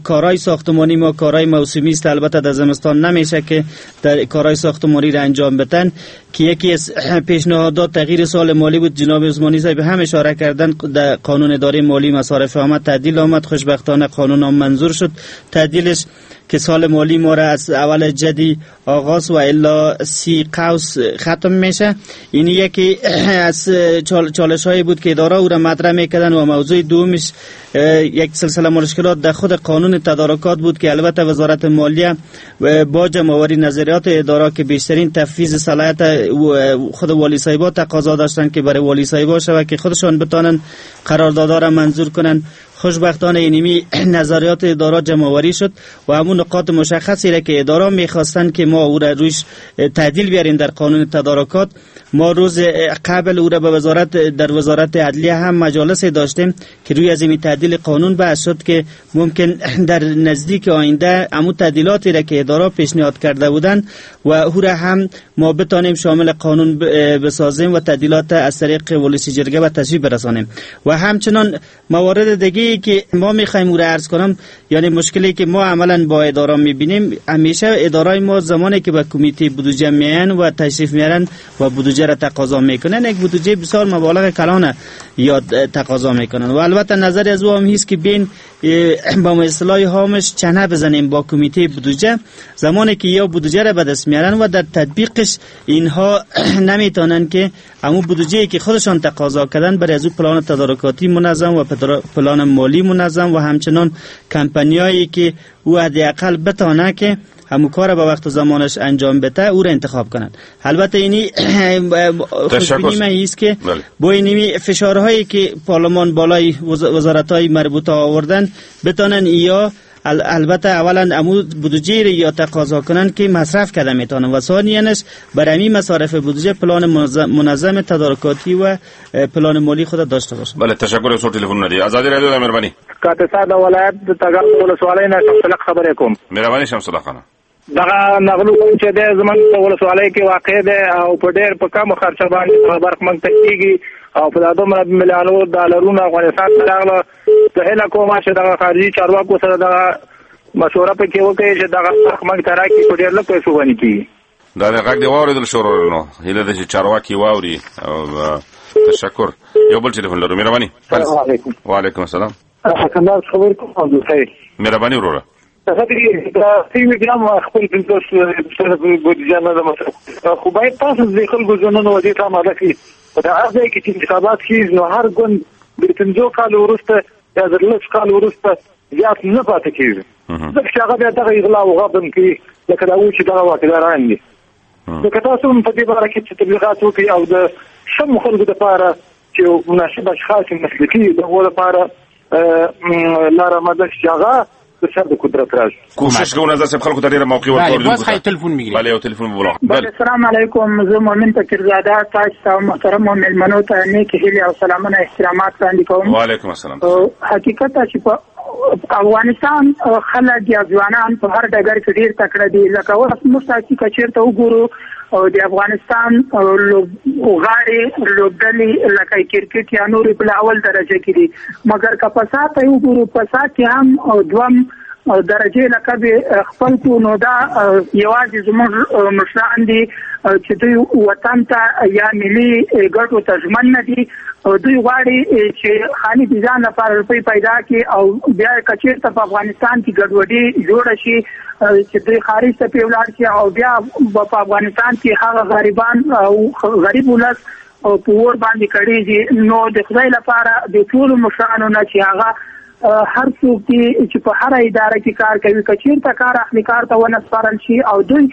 کارهای ساختمانی ما کارهای موسمی است، البته در زمستان نمیشه که در کارهای ساختمانی را انجام بدن، که یکی از پیشنهادات تغییر سال مالی بود. جناب عثمانی صاحب هم اشاره کردن در قانون اداره مالی مصارف آمد تعدیل آمد، خوشبختانه قانون هم منظور شد تعدیلش که سال مالی ما را از اول جدی آغاز و الا 30 قوس ختم میشه. این یکی از چالش هایی بود که اداره او را مطرح میکردن. و موضوع دومش یک سلسله مشکلات در خود قانون تدارکات بود که البته وزارت مالیه با جمع‌آوری نظریات اداره که بیشترین تفویض صلاحیت خود والی صاحبا تقاضا داشتن که برای والی صاحبا شود که خودشان بتانن قراردادها را منظور کنن. خوشبختانه اینمی نظریات اداره جمع‌آوری شد و همون نقاط مشخصی را که اداره می‌خواستن که ما او را روش تعدیل بیاریم در قانون تدارکات، ما روز قبل او را به وزارت در وزارت عدلیه هم مجالس داشتیم که روی از این تعدیل قانون بحث شد که ممکن در نزدیک آینده همون تعدیلاتی را که اداره پیشنهاد کرده بودند و او را هم ما بتانیم شامل قانون بسازیم و تعدیلات از طریق ولسی جرگه به تصویب برسانیم. و همچنان موارد دیگه که ما میخوایم او را عرض کنم، یعنی مشکلی که ما عملا با اداره میبینیم، همیشه اداره ما زمانی که به کمیته بودجه میان و تشریف میارن و بودجه را تقاضا میکنن، یک بودجه بسیار مبالغ کلانه یاد تقاضا میکنن و البته نظر از او هم هست که بین با اصطلاح هامش چنه بزنیم با کمیته بودجه زمانی که یا بودجه را به دست میارن و در تطبیقش اینها نمیتونن که همون بودجه که خودشان تقاضا کردن برای از او پلان تدارکاتی منظم و پلان مالی منظم و همچنان کمپانیایی که او حداقل بتانه که همون کار به وقت و زمانش انجام بده او را انتخاب کنند. البته اینی خوشبینی من است که با اینی فشارهایی که پارلمان بالای وزارت‌های مربوطه آوردن بتانن یا البته اولا امو بودجه را یا تقاضا کنن که مصرف کرده میتونن و ثانیاً برای همین مصارف بودجه پلان منظم تدارکاتی و پلان مالی خود داشته باشن. بله تشکر از تلفن ندی. ازادي رادیو د مهرباني. کاپیسا د ولایت د تګاب ولسوالۍ نه شمسالق خبرې کوم. مهرباني شمسالق خانه. دغه نغلو چې د زمونږ په ولسوالۍ کې واقع ده او په ډېر په کم خرچه باندې برق موږ ته کېږي او په دا دومره میلیونو ډالرونو افغانستان ته راغله. زه هیله کوم چې دغه خارجي چارواکو سره دغه مشوره پکې وکړي چې دغه حق موږ ته راکړي، په ډېر لږ پیسو باندې کېږي. دا د غږ دی واورېدل شو نو هیله ده چې چارواکي واوري. او تشکر. یو بل ټلیفون لرو، مهرباني. السلام علیکم. وعلیکم السلام. کندهار خبر کوم عبدالخیر. مهرباني وروره. هغه دې بیا خپل 50 بودیجه نه ده مصرف، خو باید تاسو د خلکو ژوندونه دې ته آماده کړئ. په دا هر ځای کې چې انتخابات کېږي نو هر ګوند د 5 کالو وروسته یا د 10 کالو وروسته زیات نه پاتې کېږي، ځکه چې هغه بیا دغه اغلا او غبن کوي لکه دا و چې دغه واکداران دي. نو که تاسو هم په دې باره کې چې تبلیغات وکړئ او د سمو خلکو دپاره چې مناسب اشخاص مسلکي د هغو لپاره لاره آماده شي چې هغه سر د قدرت راشي. کوشش کوو نظر صاحب خلکو ته ډېره موقع ورکړو. بله، باز خی تلفون میگیریم. بله، یو تلفون بولا. بله، السلام علیکم. زه مؤمن فقیرزاده تاسو ته محترمو مېلمنو ته نیکې هیلې او سلامونه احترامات وړاندې کوم. وعلیکم السلام. حقیقت چې په افغانستان خلک یا ځوانان په هر ډګر کې ډېر تکړه دي. لکه اوس موږ تاسو که چېرته وګورو د افغانستان لوبغاړي لوبډلې لکه کرکټ یا نورې په اول درجه کې دي، مګر که فساد ته وګورو فساد کې هم دوم درجه لقب خپل کو. نو دا یوازې زموږ مشران دي چې دوی وطن ته یا ملي ګټو ته ژمن نه دي. دوی غواړي چې خالي د ځان لپاره روپۍ پیدا کړي او بیا که چېرته په افغانستان کې ګډوډي جوړه شي چې دوی خارج ته پرې ولاړ شي او بیا په افغانستان کې هغه غریبان او غریب ولس په اور باندې کړېږي. نو د خدای لپاره د ټولو مشرانو نه چې هغه هر څوک دي چې په هره اداره کې کار کوي که چېرته کار اخلي کار ته ونه سپارل شي او دوی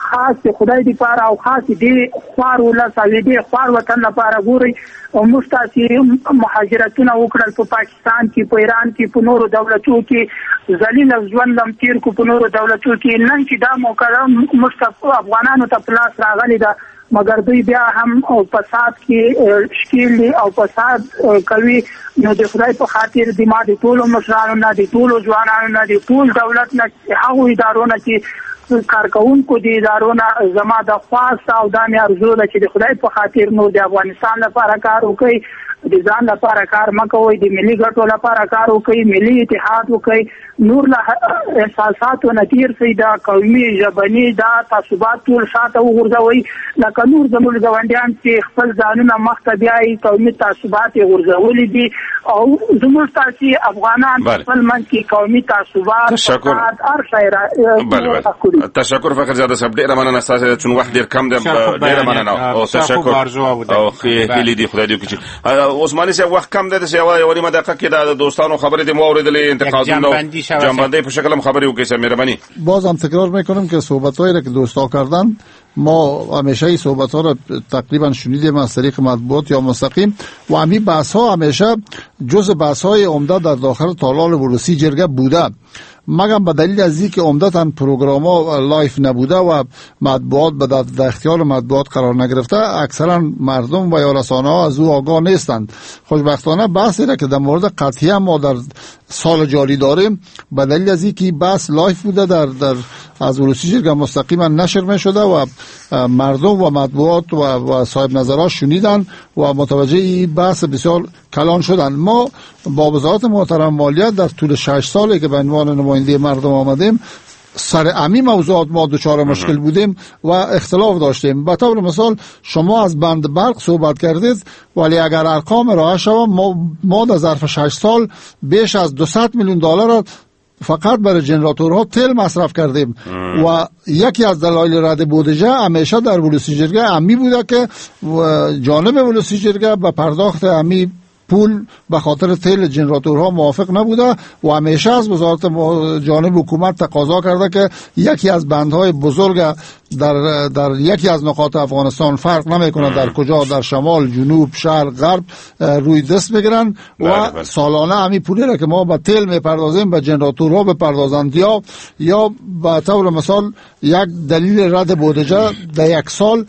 خاص د خدای دپاره او خاص دې خوار ولس او دې خوار وطن لپاره ګورئ. او موږ تاسې مهاجرتونه وکړل په پاکستان کې، په ایران کې، په نورو دولتو کې، ذلیل ژوند هم تېر کړو په نورو دولتو کې. نن چې دا موقع ده موږ ته افغانانو ته په لاس راغلې ده، مګر دوی بیا هم فساد کې ښکېل دي او فساد کوي. نو د خدای په خاطر د ما د ټولو مشرانو نه، د ټولو ځوانانو نه، د ټول دولت نه، هغو ادارو نه چې کارکوونکو د ادارو نه زما د خواست او دا مې ارزو ده چې د خدای په خاطر نور د افغانستان لپاره کار وکړئ، د ځان لپاره کار مه کوئ، د ملي ګټو لپاره کار وکړئ، ملي اتحاد وکړئ، نور له احساساتو نه تېر شئ، دا قومي ژبني دا تعصبات ټول شاته وغورځوئ. لکه نور زموږ ګاونډیان چې خپل ځانونه مخته بیایي قومي تعصبات یې غورځولي دي او زموږ تاسې افغانان خپل منځ کې قومي تعصبات فساد هر شی را. تشکر فخر زاده صاحب، ډېره مننه ستاسې چون وخت ډېر کم دی. ډېره مننه او تشکر او ښې هیلې دي، خدای دې وکړي چې عثماني صاحب وخت کم دی، داسې یوه نیمه دقیقه کې د دوستانو خبرې دې مو واورېدلې، انتقادونه جنبندی په شکل هم خبرې وکړئ صاحب، مهرباني. باز هم تکرار میکنم که صحبت‌هایی را که دوستا کردن ما همیشه این صحبت‌ها را تقریبا شنیدیم از طریق مطبوعات یا مستقیم و همین بحث‌ها همیشه جز بحث‌های عمده در داخل تالار ولسی جرگه بوده، مگم به دلیل از اینکه عمدتاً پروگرام‌ها live نبوده و مطبوعات به در اختیار مطبوعات قرار نگرفته، اکثرا مردم و یا رسانه‌ها از او آگاه نیستند. خوشبختانه بحثی را که در مورد قطعیه ما در سال جاری داریم به دلیل از اینکه بحث live بوده در از ولسی جرگه مستقیما نشر می شده و مردم و مطبوعات و صاحب نظرها شنیدن و متوجه این بحث بسیار کلان شدن. ما با وزارت محترم مالیات در طول 6 سالی که به عنوان نماینده مردم آمدیم سر امی موضوعات ما دچار مشکل بودیم و اختلاف داشتیم. به طور مثال شما از بند برق صحبت کردید، ولی اگر ارقام ارائه شود ما در ظرف 6 سال بیش از 200 میلیون دلار فقط برای جنراتورها تیل مصرف کردیم و یکی از دلایل رد بودجه همیشه در ولسی جرگه امی بوده که جانب ولسی جرگه به پرداخت امی پول به خاطر تیل جنراتورها موافق نبوده و همیشه از وزارت جانب حکومت تقاضا کرده که یکی از بندهای بزرگ در یکی از نقاط افغانستان، فرق نمیکنه در کجا، در شمال، جنوب، شرق، غرب، روی دست بگیرن و سالانه همین پولی را که ما به تیل میپردازیم به جنراتورها بپردازند یا به طور مثال یک دلیل رد بودجه در یک سال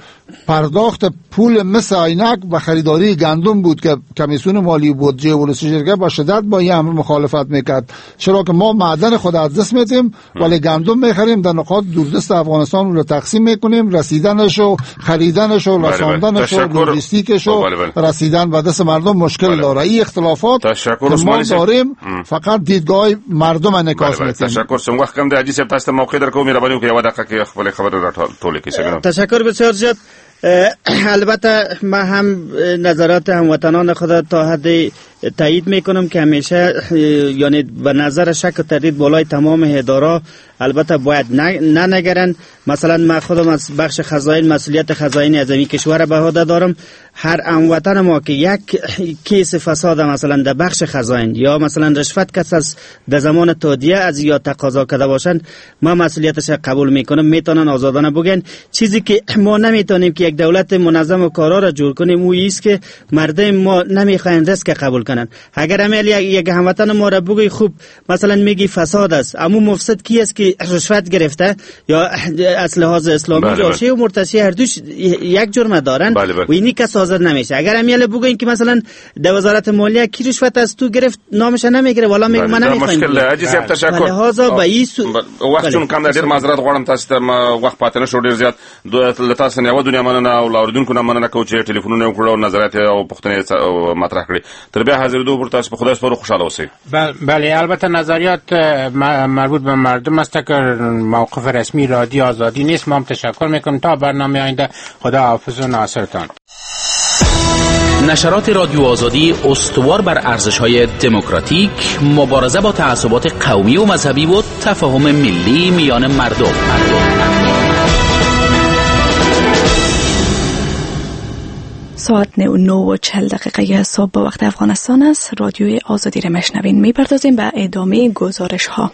پرداخت پول مس عینک و خریداری گندم بود که کمیسیون مالی بودجه ولسی جرگه با شدت با این امر مخالفت میکرد، چرا که ما معدن خود از دست میدیم ولی گندم میخریم در نقاط دوردست افغانستان رو تقسیم میکنیم، رسیدنش و خریدنش و رساندنش و لوجستیکش و رسیدن به دست مردم مشکل داره. این اختلافات که ما داریم فقط دیدگاه مردم انعکاس میده. تشکر. سم وخت کم دی حاجي صاحب، تاسو ته موقع درکوم، مهرباني وکړئ یوه دقیقه کې خپلې خبرې راټولې کړئ. تشکر بسیار زیاد. البته من هم نظرات هموطنان خود تا حد تایید میکنم که همیشه یعنی به نظر شک و تردید بالای تمام اداره البته باید ننگرند. مثلا من خودم از بخش خزاین مسئولیت خزاین از این کشور به عهده دارم. هر هموطن ما که یک کیس فساد مثلا در بخش خزاین یا مثلا رشوت کس از در زمان تادیه از یا تقاضا کرده باشند، ما مسئولیتش قبول میکنم، میتونن آزادانه بگن. چیزی که ما نمیتونیم که یک دولت منظم و کارا را جور کنیم او است که مردم ما نمیخواین ریسک قبول کنن. اگر عمل یک هموطن ما را بگوی خوب مثلا میگی فساد است، اما مفسد کی است که رشوت گرفته یا از لحاظ اسلامی راشی و مرتشی هر دوش یک جرم دارن و اینی کس حاضر نمیشه. اگر عمل بگوین که مثلا در وزارت مالیه کی رشوت از تو گرفت نامش نمیگیره، والا میگه من نمیخوایم. مشکل حاجي صاحب تشکر. لحاظا به این وخت چون کم ډیر معذرت غواړم تاسو ته وخت پاتې نشو ډیر زیات. له تاسو نه یوه دنیا مننه او له اورېدونکو نه مننه کوو چې ټلیفونونه وکړل او نظریات او پوښتنې مطرح کړې. تر بیا حاضرېدو پورې تاسو په خدای سپارو، خوشحاله اوسئ. بله، البته نظریات مربوط به مردم است که موقف رسمی رادیو آزادی نیست. ما هم تشکر میکنم. تا برنامه آینده خدا حافظ و ناصرتان. نشرات رادیو آزادی استوار بر ارزش‌های دموکراتیک، مبارزه با تعصبات قومی و مذهبی و تفاهم ملی میان مردم. ساعت 9:40 صبح با وقت افغانستان است. رادیوی آزادی را مشنوین. میپردازیم به ادامه گزارش ها.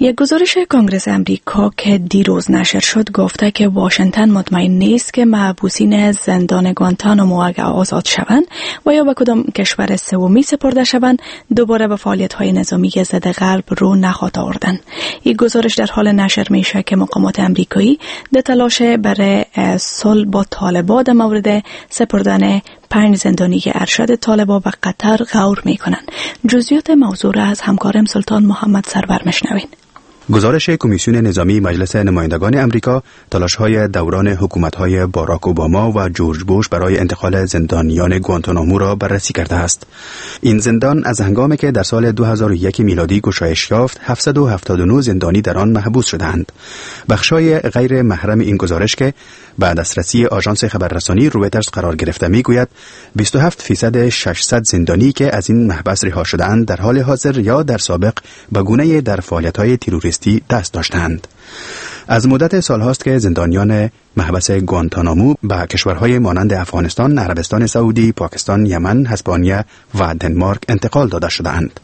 یک گزارش کنگرس امریکا که دیروز نشر شد گفته که واشنگتن مطمئن نیست که محبوسین زندان گوانتانامو اگر آزاد شوند و یا به کدام کشور سومی سپرده شوند دوباره به فعالیت‌های نظامی ضد غرب رو نخواهد آوردن. یک گزارش در حال نشر میشه که مقامات امریکایی در تلاش برای صلح با طالبان در مورد سپردن 5 زندانی ارشد طالبان به قطر غور میکنند. جزئیات موضوع را از همکارم سلطان محمد سرور مشنوین. گزارش کمیسیون نظامی مجلس نمایندگان امریکا تلاش‌های دوران حکومت‌های باراک اوباما و جورج بوش برای انتقال زندانیان گوانتانامو را بررسی کرده است. این زندان از هنگامی که در سال 2001 میلادی گشایش یافت، 779 زندانی در آن محبوس شدند. بخش‌های غیر محرم این گزارش که به دسترسی آژانس خبررسانی رویترز قرار گرفته میگوید 27% 600 زندانی که از این محبس رها شده‌اند در حال حاضر یا در سابق به گونه در فعالیت‌های تروریستی دست داشتند. از مدت سالهاست که زندانیان محبس گوانتانامو به کشورهای مانند افغانستان، عربستان سعودی، پاکستان، یمن، هسپانیا و دنمارک انتقال داده شده‌اند.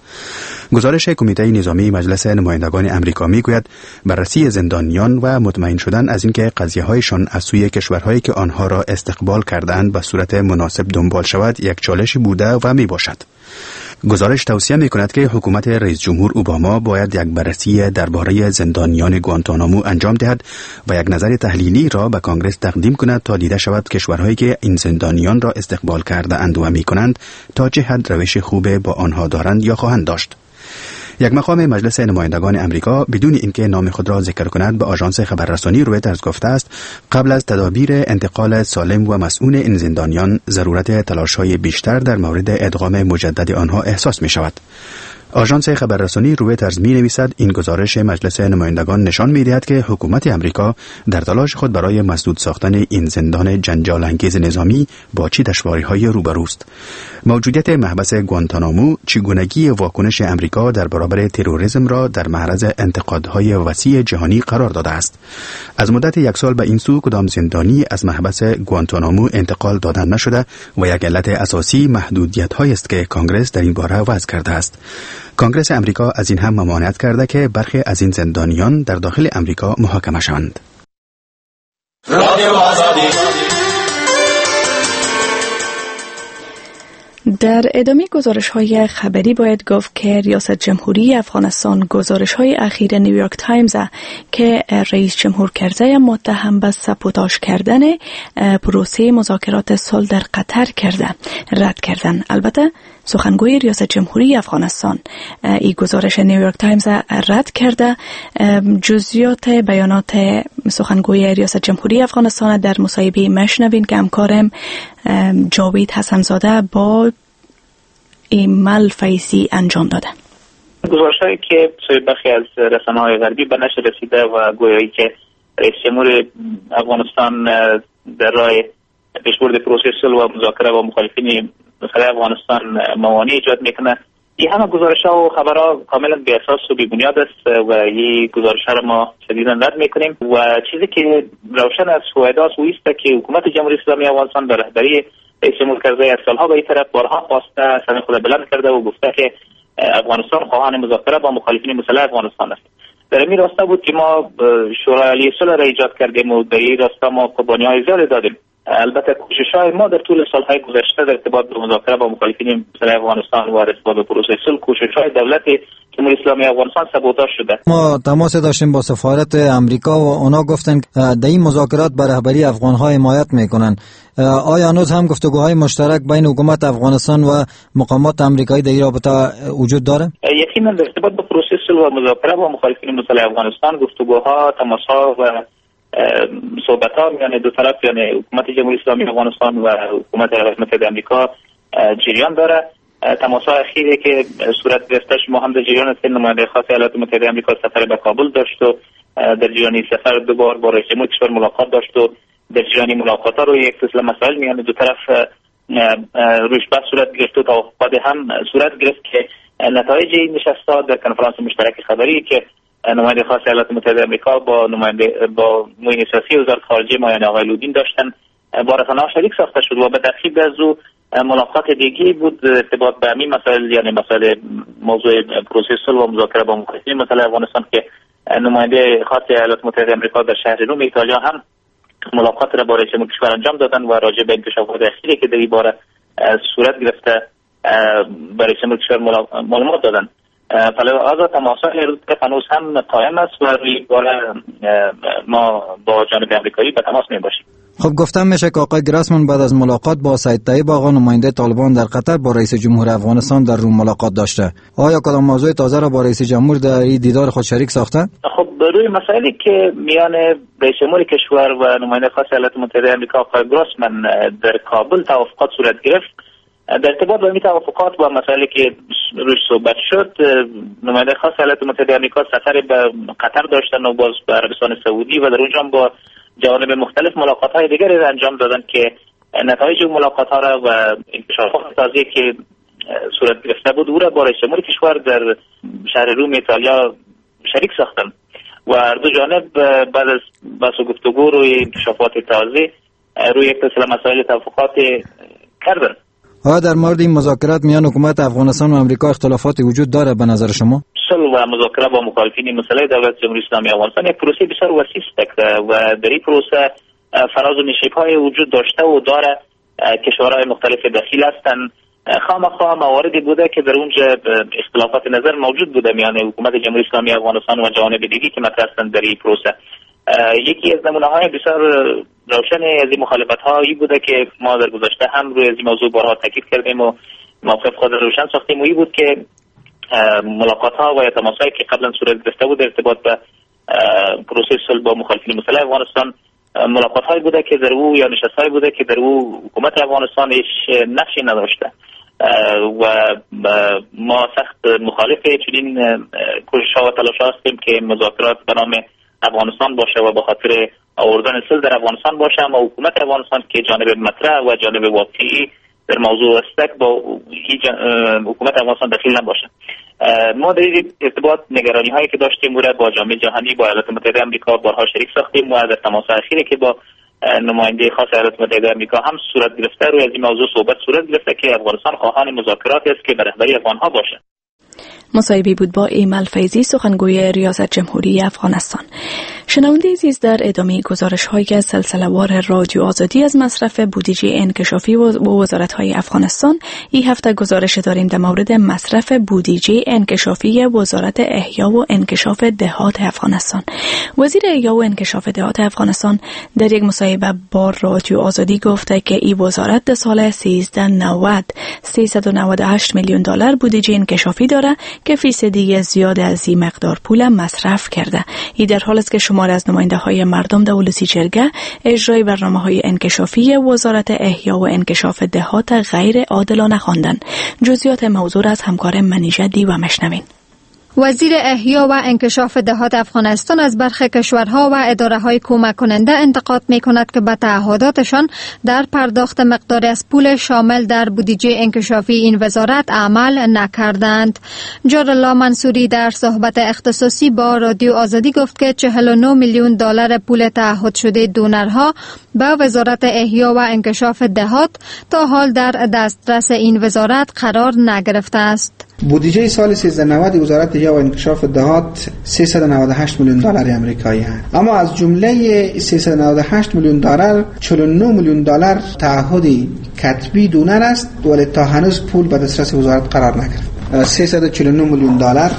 گزارش کمیته نظامی مجلس نمایندگان امریکا میگوید بررسی زندانیان و مطمئن شدن از اینکه قضیه‌هایشان از سوی کشورهایی که آنها را استقبال کردند به صورت مناسب دنبال شود یک چالش بوده و میباشد. گزارش توصیه می‌کند که حکومت رئیس جمهور اوباما باید یک بررسی درباره زندانیان گوانتانامو انجام دهد و یک نظر تحلیلی را به کانگرس تقدیم کند تا دیده شود کشورهایی که این زندانیان را استقبال کرده اند و می‌کنند تا چه حد روش خوب با آنها دارند یا خواهند داشت. یک مقام مجلس نمایندگان امریکا بدون اینکه نام خود را ذکر کند به آژانس خبررسانی رویترز گفته است قبل از تدابیر انتقال سالم و مسئول این زندانیان ضرورت تلاش‌های بیشتر در مورد ادغام مجدد آنها احساس می‌شود. آژانس خبررسانی رویترز می‌نویسد این گزارش مجلس نمایندگان نشان می‌دهد که حکومت امریکا در تلاش خود برای مسدود ساختن این زندان جنجال انگیز نظامی با چه دشواری‌های روبروست. موجودیت محبس گوانتانامو چگونگی واکنش امریکا در برابر تروریسم را در معرض انتقادهای وسیع جهانی قرار داده است. از مدت یک سال به این سو کدام زندانی از محبس گوانتانامو انتقال داده نشده و یک علت اساسی محدودیت‌هایی است که کانگرس در این باره وضع کرده است. کانگرس امریکا از این هم ممانعت کرده که برخی از این زندانیان در داخل امریکا محاکمه شوند. در ادامه گزارش‌های خبری باید گفت که ریاست جمهوری افغانستان گزارش‌های اخیر نیویورک تایمز که رئیس جمهور کرزی متهم به سابوتاژ کردن پروسه مذاکرات صلح در قطر کرده رد کردن. البته سخنگوی ریاست جمهوری افغانستان این گزارش نیویورک تایمز رد کرده. جزئیات بیانات سخنگوی ریاست جمهوری افغانستان در مصاحبه مشنوین که همکارم جاوید حسنزاده با ایمل فیضی انجام داده. گزارش‌هایی که سوی برخی از رسانه‌های غربی به نشر رسیده و گویایی که رئیس جمهور افغانستان در راه پیشبرد پروسه صلح و مذاکره با مخالفین مسئله افغانستان موانع ایجاد میکنه، این همه گزارش‌ها و خبرها کاملا بی اساس و بی بنیاد است و این گزارش‌ها را ما شدیداً رد میکنیم. و چیزی که روشن از هویداست او است که حکومت جمهوری اسلامی افغانستان به رهبری رئیس جمهور کرزی از سالها به این طرف بارها خواسته، سر خود بلند کرده و گفته که افغانستان خواهان مذاکره با مخالفین مسلح افغانستان است. در این راستا بود که ما شورای عالی صلح را ایجاد کردیم و در این راستا ما قربانی‌های زیادی دادیم. البته کوشش‌های ما در طول سال‌های گذشته در ارتباط به مذاکره با مخالفین مسلح افغانستان و ارتباط به پروسه صلح، کوشش‌های دولت جمهوری اسلامی افغانستان سابوتاژ شده. ما تماس داشتیم با سفارت امریکا و اونا گفتن در این مذاکرات به رهبری افغان‌ها حمایت می‌کنن. آیا هنوز هم گفتگوهای مشترک بین حکومت افغانستان و مقامات امریکایی در این رابطه وجود داره؟ یقینا در ارتباط به پروسه صلح و مذاکره با مخالفین مسلح افغانستان گفتگوها، تماس‌ها و صحبت‌ها میان دو طرف، یعنی حکومت جمهوری اسلامی افغانستان و حکومت ایالات متحده آمریکا جریان داره. تماس‌های اخیری که صورت گرفته، ما هم در جریان هستیم. نماینده خاص ایالات متحده آمریکا سفر به کابل داشت و در جریان سفر دو بار با رئیس جمهور کشور ملاقات داشت و در جریان ملاقات‌ها روی یک سلسله مسائل میان دو طرف روش بحث صورت گرفت و توافقات هم صورت گرفت که نتایج این نشست‌ها در کنفرانس مشترک خبری که نماینده خاص ایالات متحده آمریکا با نماینده با معین سیاسی وزارت خارجه ما یعنی آقای لودین داشتن با رسانه‌ها شریک ساخته شد و به ترتیب از او ملاقات دیگه بود ارتباط به همین مسائل، یعنی مسائل موضوع پروسه صلح و مذاکره با مخالفین مسئله افغانستان که نماینده خاص ایالات متحده آمریکا در شهر روم ایتالیا هم ملاقات را با رئیس جمهور کشور انجام دادن و راجع به انکشافات اخیری که در این باره صورت گرفته برای رئیس جمهور کشور معلومات دادن. فلذا تماس‌های هنوز هم قائم است و روی باره ما با جانب امریکایی به تماس میباشیم. خب گفتم میشه که آقای گراسمن بعد از ملاقات با سید طیب آقا نماینده طالبان در قطر با رئیس جمهور افغانستان در روم ملاقات داشته. آیا کدام موضوع تازه را با رئیس جمهور در این دیدار خود شریک ساخته؟ خب روی مسائلی که میان رئیس جمهور کشور و نماینده خاص ایالات متحده آمریکا آقای گراسمن در کابل توافقات صورت گرفت، در ارتباط با این توافقات و مسائلی که روش صحبت شد، نماینده خاص ایالات متحده آمریکا سفر به قطر داشتن و باز به عربستان سعودی و در اونجا با جوانب مختلف ملاقات‌های دیگری را انجام دادن که نتایج ملاقات‌ها را و انکشافات تازه‌ای که صورت گرفته بود او را با رئیس جمهور کشور در شهر روم ایتالیا شریک ساختند و هر دو جانب بعد از بحث و گفتگو روی انکشافات تازه روی یک سلسله مسائل توافقات کردند. آیا در مورد این مذاکرات میان حکومت افغانستان و امریکا اختلافاتی وجود داره به نظر شما؟ صلح و مذاکره با مخالفین مسلح دولت جمهوری اسلامی افغانستان یک پروسه بسیار وسیع است و در این پروسه فراز و نشیب‌های وجود داشته و داره. کشورهای مختلف دخیل هستند. خامخا مواردی بوده که در اونجا اختلافات نظر موجود بوده میان حکومت جمهوری اسلامی افغانستان و جوانب دیگه که مطرح هستند در این پروسه. یکی از نمونه‌های بسیار روشن از این مخالفت‌هایی بوده که ما در گذشته هم روی از این موضوع بارها تاکید کردیم و موقف خود روشن ساختیم و این بود که ملاقات‌ها و یا تماس‌هایی که قبلا صورت گرفته بود ارتباط به پروسه صلح با مخالفین مسلح افغانستان، ملاقات‌هایی بوده که در او یا نشست‌هایی بوده که در او حکومت افغانستان هیچ نقشی نداشته و ما سخت مخالف چنین کوشش‌ها و تلاش‌ها هستیم که مذاکرات به نام افغانستان باشه و به خاطر آوردن صلح در افغانستان باشه، اما حکومت افغانستان که جانب مطرح و جانب واقعی در موضوع است با حکومت افغانستان دخیل نباشه. ما در این ارتباط نگرانی هایی که داشتیم را با جامعه جهانی، با ایالات متحده آمریکا بارها شریک ساختیم و در تماس اخیری که با نماینده خاص ایالات متحده آمریکا هم صورت گرفته روی از این موضوع صحبت صورت گرفته که افغانستان خواهان مذاکرات است که به رهبری افغانها باشه. مصاحبه بود با ایمل فیضی، سخنگوی ریاست جمهوری افغانستان. شنونده عزیز، در ادامه گزارش های سلسله وار رادیو آزادی از مصرف بودجه انکشافی و وزارت های افغانستان، این هفته گزارش داریم در مورد مصرف بودجه انکشافی وزارت احیا و انکشاف دهات افغانستان. وزیر احیا و انکشاف دهات افغانستان در یک مصاحبه با رادیو آزادی گفته که این وزارت در سال 1390 398 میلیون دلار بودجه انکشافی داره که فیصدی زیاد از این مقدار پول مصرف کرده. این در حال است که شمار از نماینده های مردم در ولسی جرگه اجرای برنامه های انکشافی وزارت احیا و انکشاف دهات غیر عادلانه خواندند. جزئیات موضوع از همکار منیژه دیوه مشنوین. وزیر احیا و انکشاف دهات افغانستان از برخی کشورها و اداره‌های کمک کننده انتقاد می‌کند که به تعهداتشان در پرداخت مقداری از پول شامل در بودجه انکشافی این وزارت عمل نکردند. جارالله منصوری در صحبت اختصاصی با رادیو آزادی گفت که 49 میلیون دلار پول تعهد شده دونرها به وزارت احیا و انکشاف دهات تا حال در دسترس این وزارت قرار نگرفته است. بودجه سال 1390 وزارت احیا و انکشاف دهات 398 میلیون دلار آمریکایی است، اما از جمله 398 میلیون دلار 49 میلیون دلار تعهد کتبی دونر است، ولی تا هنوز پول به دسترس وزارت قرار نگرفت. 349 میلیون دلار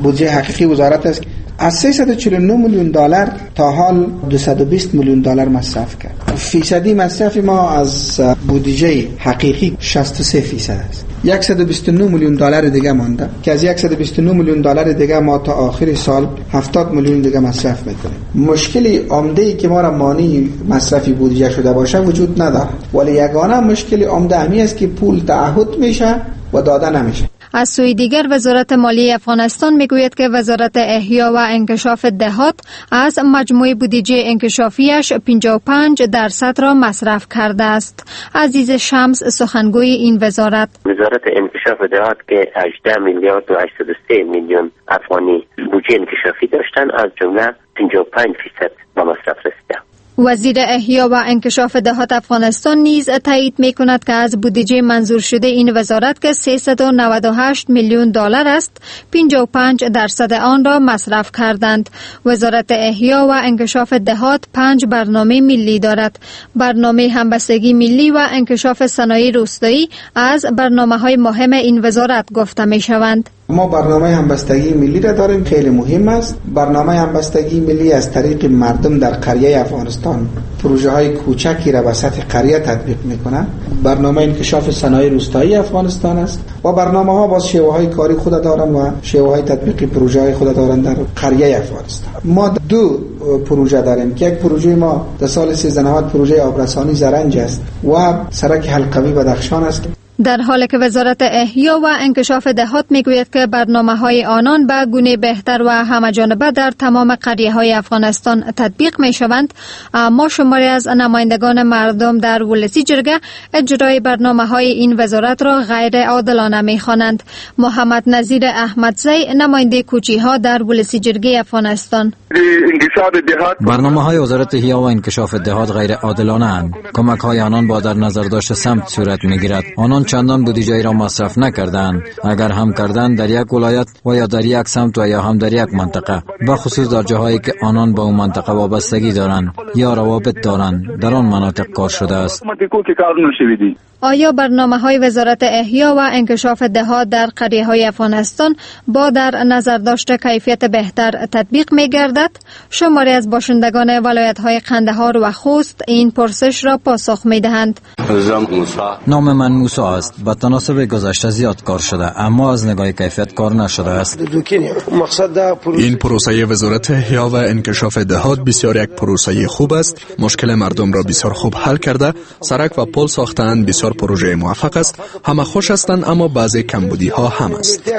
بودجه حقیقی وزارت است. از 349 میلیون دلار تا حال 220 میلیون دلار مصرف کرد. فیصدی مصرف ما از بودجه حقیقی 63% است. 129 میلیون دلار دیگه مانده که از 129 میلیون دلار دیگه ما تا آخر سال 70 میلیون دیگه مصرف میکنیم. مشکل عمده ای که ما را مانع مصرف بودجه شده باشه وجود نداره، ولی یگانه مشکل عمده همی است که پول تعهد میشه و داده نمیشه. از سوی دیگر وزارت مالی افغانستان میگوید که وزارت احیا و انکشاف دهات از مجموع بودجه انکشافیش 55% را مصرف کرده است. عزیز شمس سخنگوی این وزارت: وزارت انکشاف دهات که 18 میلیارد و 803 میلیون افغانی بودجه انکشافی داشتن، از جمله 55% به مصرف رسیده. وزیر احیا و انکشاف دهات افغانستان نیز تایید می کند که از بودجه منظور شده این وزارت که 398 میلیون دلار است، 55% آن را مصرف کردند. وزارت احیا و انکشاف دهات 5 برنامه ملی دارد. برنامه همبستگی ملی و انکشاف صنایع روستایی از برنامه‌های مهم این وزارت گفته می شوند. ما برنامه همبستگی ملی را داریم، خیلی مهم است. برنامه همبستگی ملی از طریق مردم در قریه افغانستان پروژه های کوچکی را به سطح قریه تطبیق میکنه. برنامه انکشاف صنایع روستایی افغانستان است و برنامه ها باز شیوه های کاری خود دارند و شیوه های تطبیقی پروژه های خود دارند در قریه افغانستان. ما دو پروژه داریم که یک پروژه ما در سال 1390 پروژه آبرسانی زرنج است و سرک حلقوی بدخشان است. در حالی که وزارت احیا و انکشاف دهات میگوید که برنامه‌های آنان به گونه بهتر و همه‌جانبه در تمام قریه‌های افغانستان تطبیق می‌شوند، اما شماری از نمایندگان مردم در ولسی جرگه اجرای برنامه‌های این وزارت را غیر عادلانه می‌خوانند. محمد نظیر احمدزی، نماینده کوچی‌ها در ولسی جرگه افغانستان: برنامه‌های وزارت احیا و انکشاف دهات غیر عادلانه اند. کمک‌های آنان با در نظر داشت سمت صورت می‌گیرد. آنان چندان بودجه را مصرف نکردند، اگر هم کردند در یک ولایت و یا در یک سمت و یا هم در یک منطقه، به خصوص در جاهایی که آنان با اون منطقه وابستگی دارند یا روابط دارند، در آن مناطق کار شده است. آیا برنامه‌های وزارت احیا و انکشاف دهات در قریه‌های افغانستان با در نظر داشت کیفیت بهتر تطبیق می‌گردد؟ شماری از باشندگان ولایت‌های قندهار و خوست این پرسش را پاسخ می‌دهند. نام من موسی است. به تناسب گذشته زیاد کار شده، اما از نگاه کیفیت کار نشده است. این پروسه وزارت احیا و انکشاف دهات بسیار یک پروسه خوب است. مشکل مردم را بسیار خوب حل کرده، سرک و پل ساختند، بسیار پروژه موفق است. همه خوش هستند، اما بعضی کمبودی ها هم است.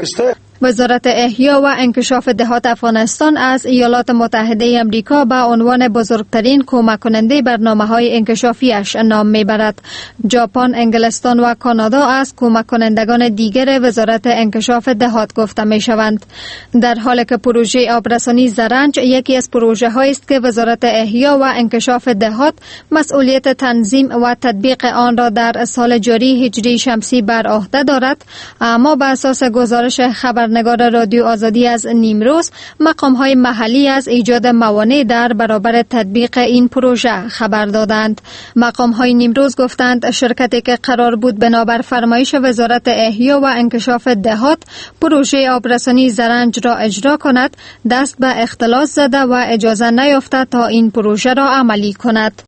وزارت احیا و انکشاف دهات افغانستان از ایالات متحده امریکا به عنوان بزرگترین کمک کننده برنامه‌های انکشافیش نام میبرد. ژاپن، انگلستان و کانادا از کمک کنندگان دیگر وزارت انکشاف دهات گفته میشوند. در حالی که پروژه آبرسانی زرنج یکی از پروژه هایی است که وزارت احیا و انکشاف دهات مسئولیت تنظیم و تطبیق آن را در سال جاری هجری شمسی بر عهده دارد، اما به اساس گزارش خبر خبرنگار رادیو آزادی از نیمروز، مقام‌های محلی از ایجاد موانع در برابر تطبیق این پروژه خبر دادند. مقام‌های نیمروز گفتند شرکتی که قرار بود بنابر فرمایش وزارت احیا و انکشاف دهات پروژه آبرسانی زرنج را اجرا کند، دست به اختلاس زده و اجازه نیافته تا این پروژه را عملی کند.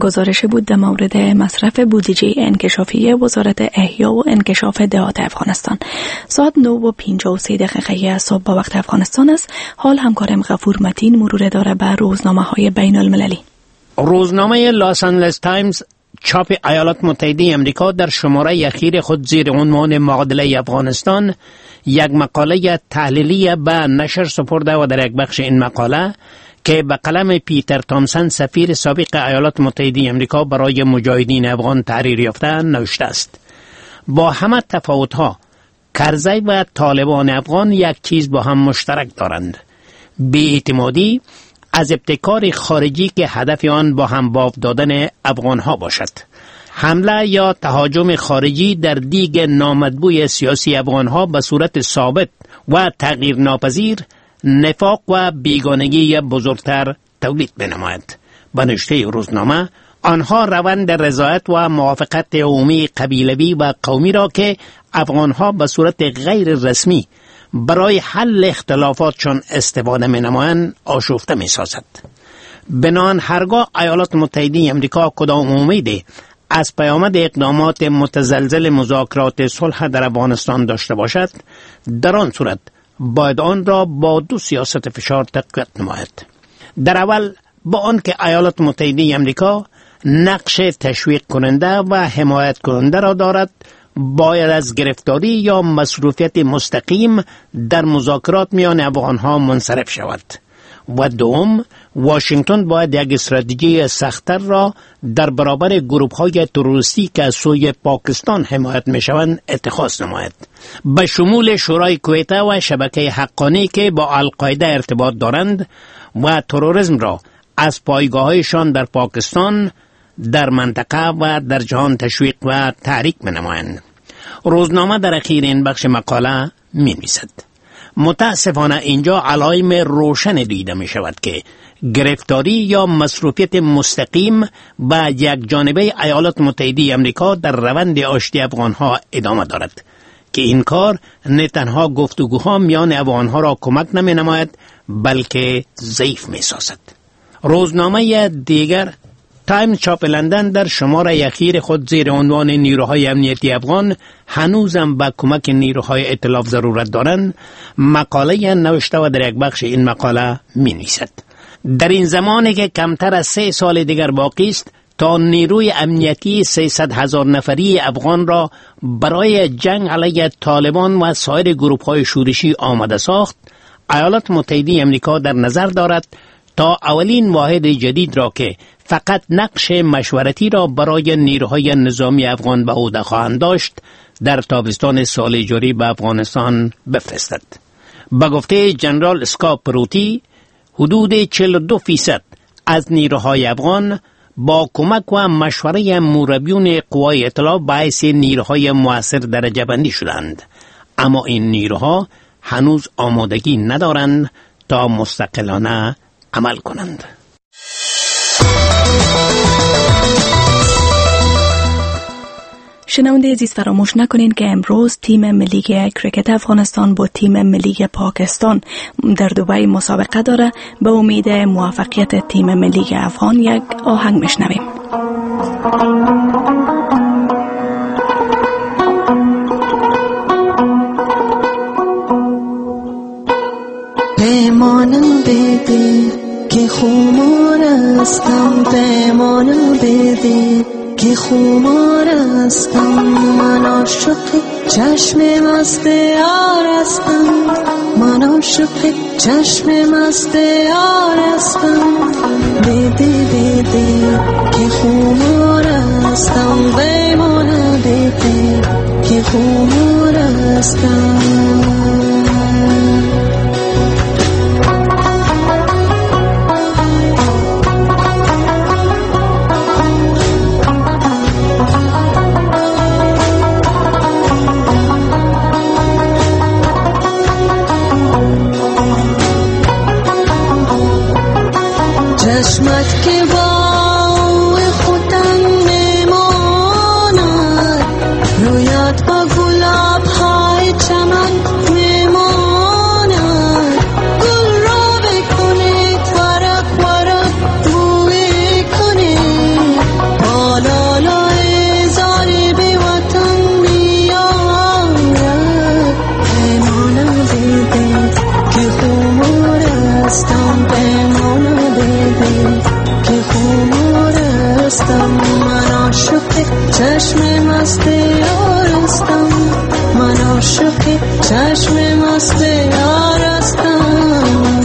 گزارش بود در مورد مصرف بودجه انکشافی وزارت احیا و انکشاف دهات افغانستان. ساعت 9:53 صبح با وقت افغانستان است. حال همکارم غفور متین مرور داره بر روزنامه‌های بین المللی. روزنامه لس آنجلس تایمز چاپ ایالات متحده امریکا در شماره اخیر خود زیر عنوان معادله افغانستان یک مقاله تحلیلی به نشر سپرده و در یک بخش این مقاله که به قلم پیتر تامسن سفیر سابق ایالات متحده امریکا برای مجاهدین افغان تحریر یافته نوشته است: با همه تفاوت‌ها کرزی و طالبان افغان یک چیز با هم مشترک دارند: بی‌اعتمادی از ابتکار خارجی که هدف آن با هم باف دادن افغانها باشد. حمله یا تهاجم خارجی در دیگ نامطبوع سیاسی افغانها به صورت ثابت و تغییر ناپذیر نفاق و بیگانگی بزرگتر تولید بنماید. به نوشته روزنامه، آنها روند رضایت و موافقت عمومی قبیلوی و قومی را که افغانها به صورت غیر رسمی برای حل اختلافاتشان استفاده می‌نمایند آشفته می‌سازد. بنان هرگاه ایالات متحده امریکا کدام امید از پیامد اقدامات متزلزل مذاکرات صلح در افغانستان داشته باشد، در آن صورت باید آن را با دو سیاست فشار تقویت نماید. در اول، با آنکه ایالات متحده امریکا نقش تشویق کننده و حمایت کننده را دارد، باید از گرفتاری یا مصروفیت مستقیم در مذاکرات میان افغانها منصرف شود. و دوم، واشنگتن باید یک استراتژی سخت‌تر را در برابر گروه‌های تروریستی که از سوی پاکستان حمایت می‌شوند اتخاذ نماید، به شمول شورای کویته و شبکه حقانی که با القاعده ارتباط دارند و تروریسم را از پایگاه‌هایشان در پاکستان، در منطقه و در جهان تشویق و تحریک می‌نمایند. روزنامه در اخیر این بخش مقاله می‌نویسد: متاسفانه اینجا علائم روشن دیده می شود که گرفتاری یا مصروفیت مستقیم و یک جانبه ایالات متحده امریکا در روند آشتی افغانها ادامه دارد که این کار نه تنها گفتگوها میان افغانها را کمک نمی نماید بلکه ضعیف می سازد. روزنامه دیگر تایم چاپ لندن در شماره اخیر خود زیر عنوان نیروهای امنیتی افغان هنوزم به کمک نیروهای ائتلاف ضرورت دارند مقاله نوشته و در یک بخش این مقاله می نویسد: در این زمانی که کمتر از 3 سال دیگر باقی است تا نیروی امنیتی 300,000 نفری افغان را برای جنگ علیه طالبان و سایر گروه‌های شورشی آماده ساخت، ایالات متحده امریکا در نظر دارد تا اولین واحد جدید را که فقط نقش مشورتی را برای نیروهای نظامی افغان به عهده خواهند داشت در تابستان سال جاری به افغانستان بفرستد. به گفته جنرال اسکاپروتی، حدود 42% از نیروهای افغان با کمک و مشوره مربیون قوای ائتلاف باعث نیروهای موثر درجه بندی شدند، اما این نیروها هنوز آمادگی ندارند تا مستقلانه عمل کنند. شنونده عزیز، فراموش نکنین که امروز تیم ملی کرکت افغانستان با تیم ملی پاکستان در دبی مسابقه داره. به امید موفقیت تیم ملی افغان یک آهنگ میشنویم. پیمانم بده که خمار هستم، پیمانم بده که خمار هستم، من عاشق چشم مست یار هستم، من عاشق چشم مست یار هستم، بده بده که خمار هستم، پیمانم بده که خمار هستم. مست یار هستم، من عاشق چشم مست یار هستم.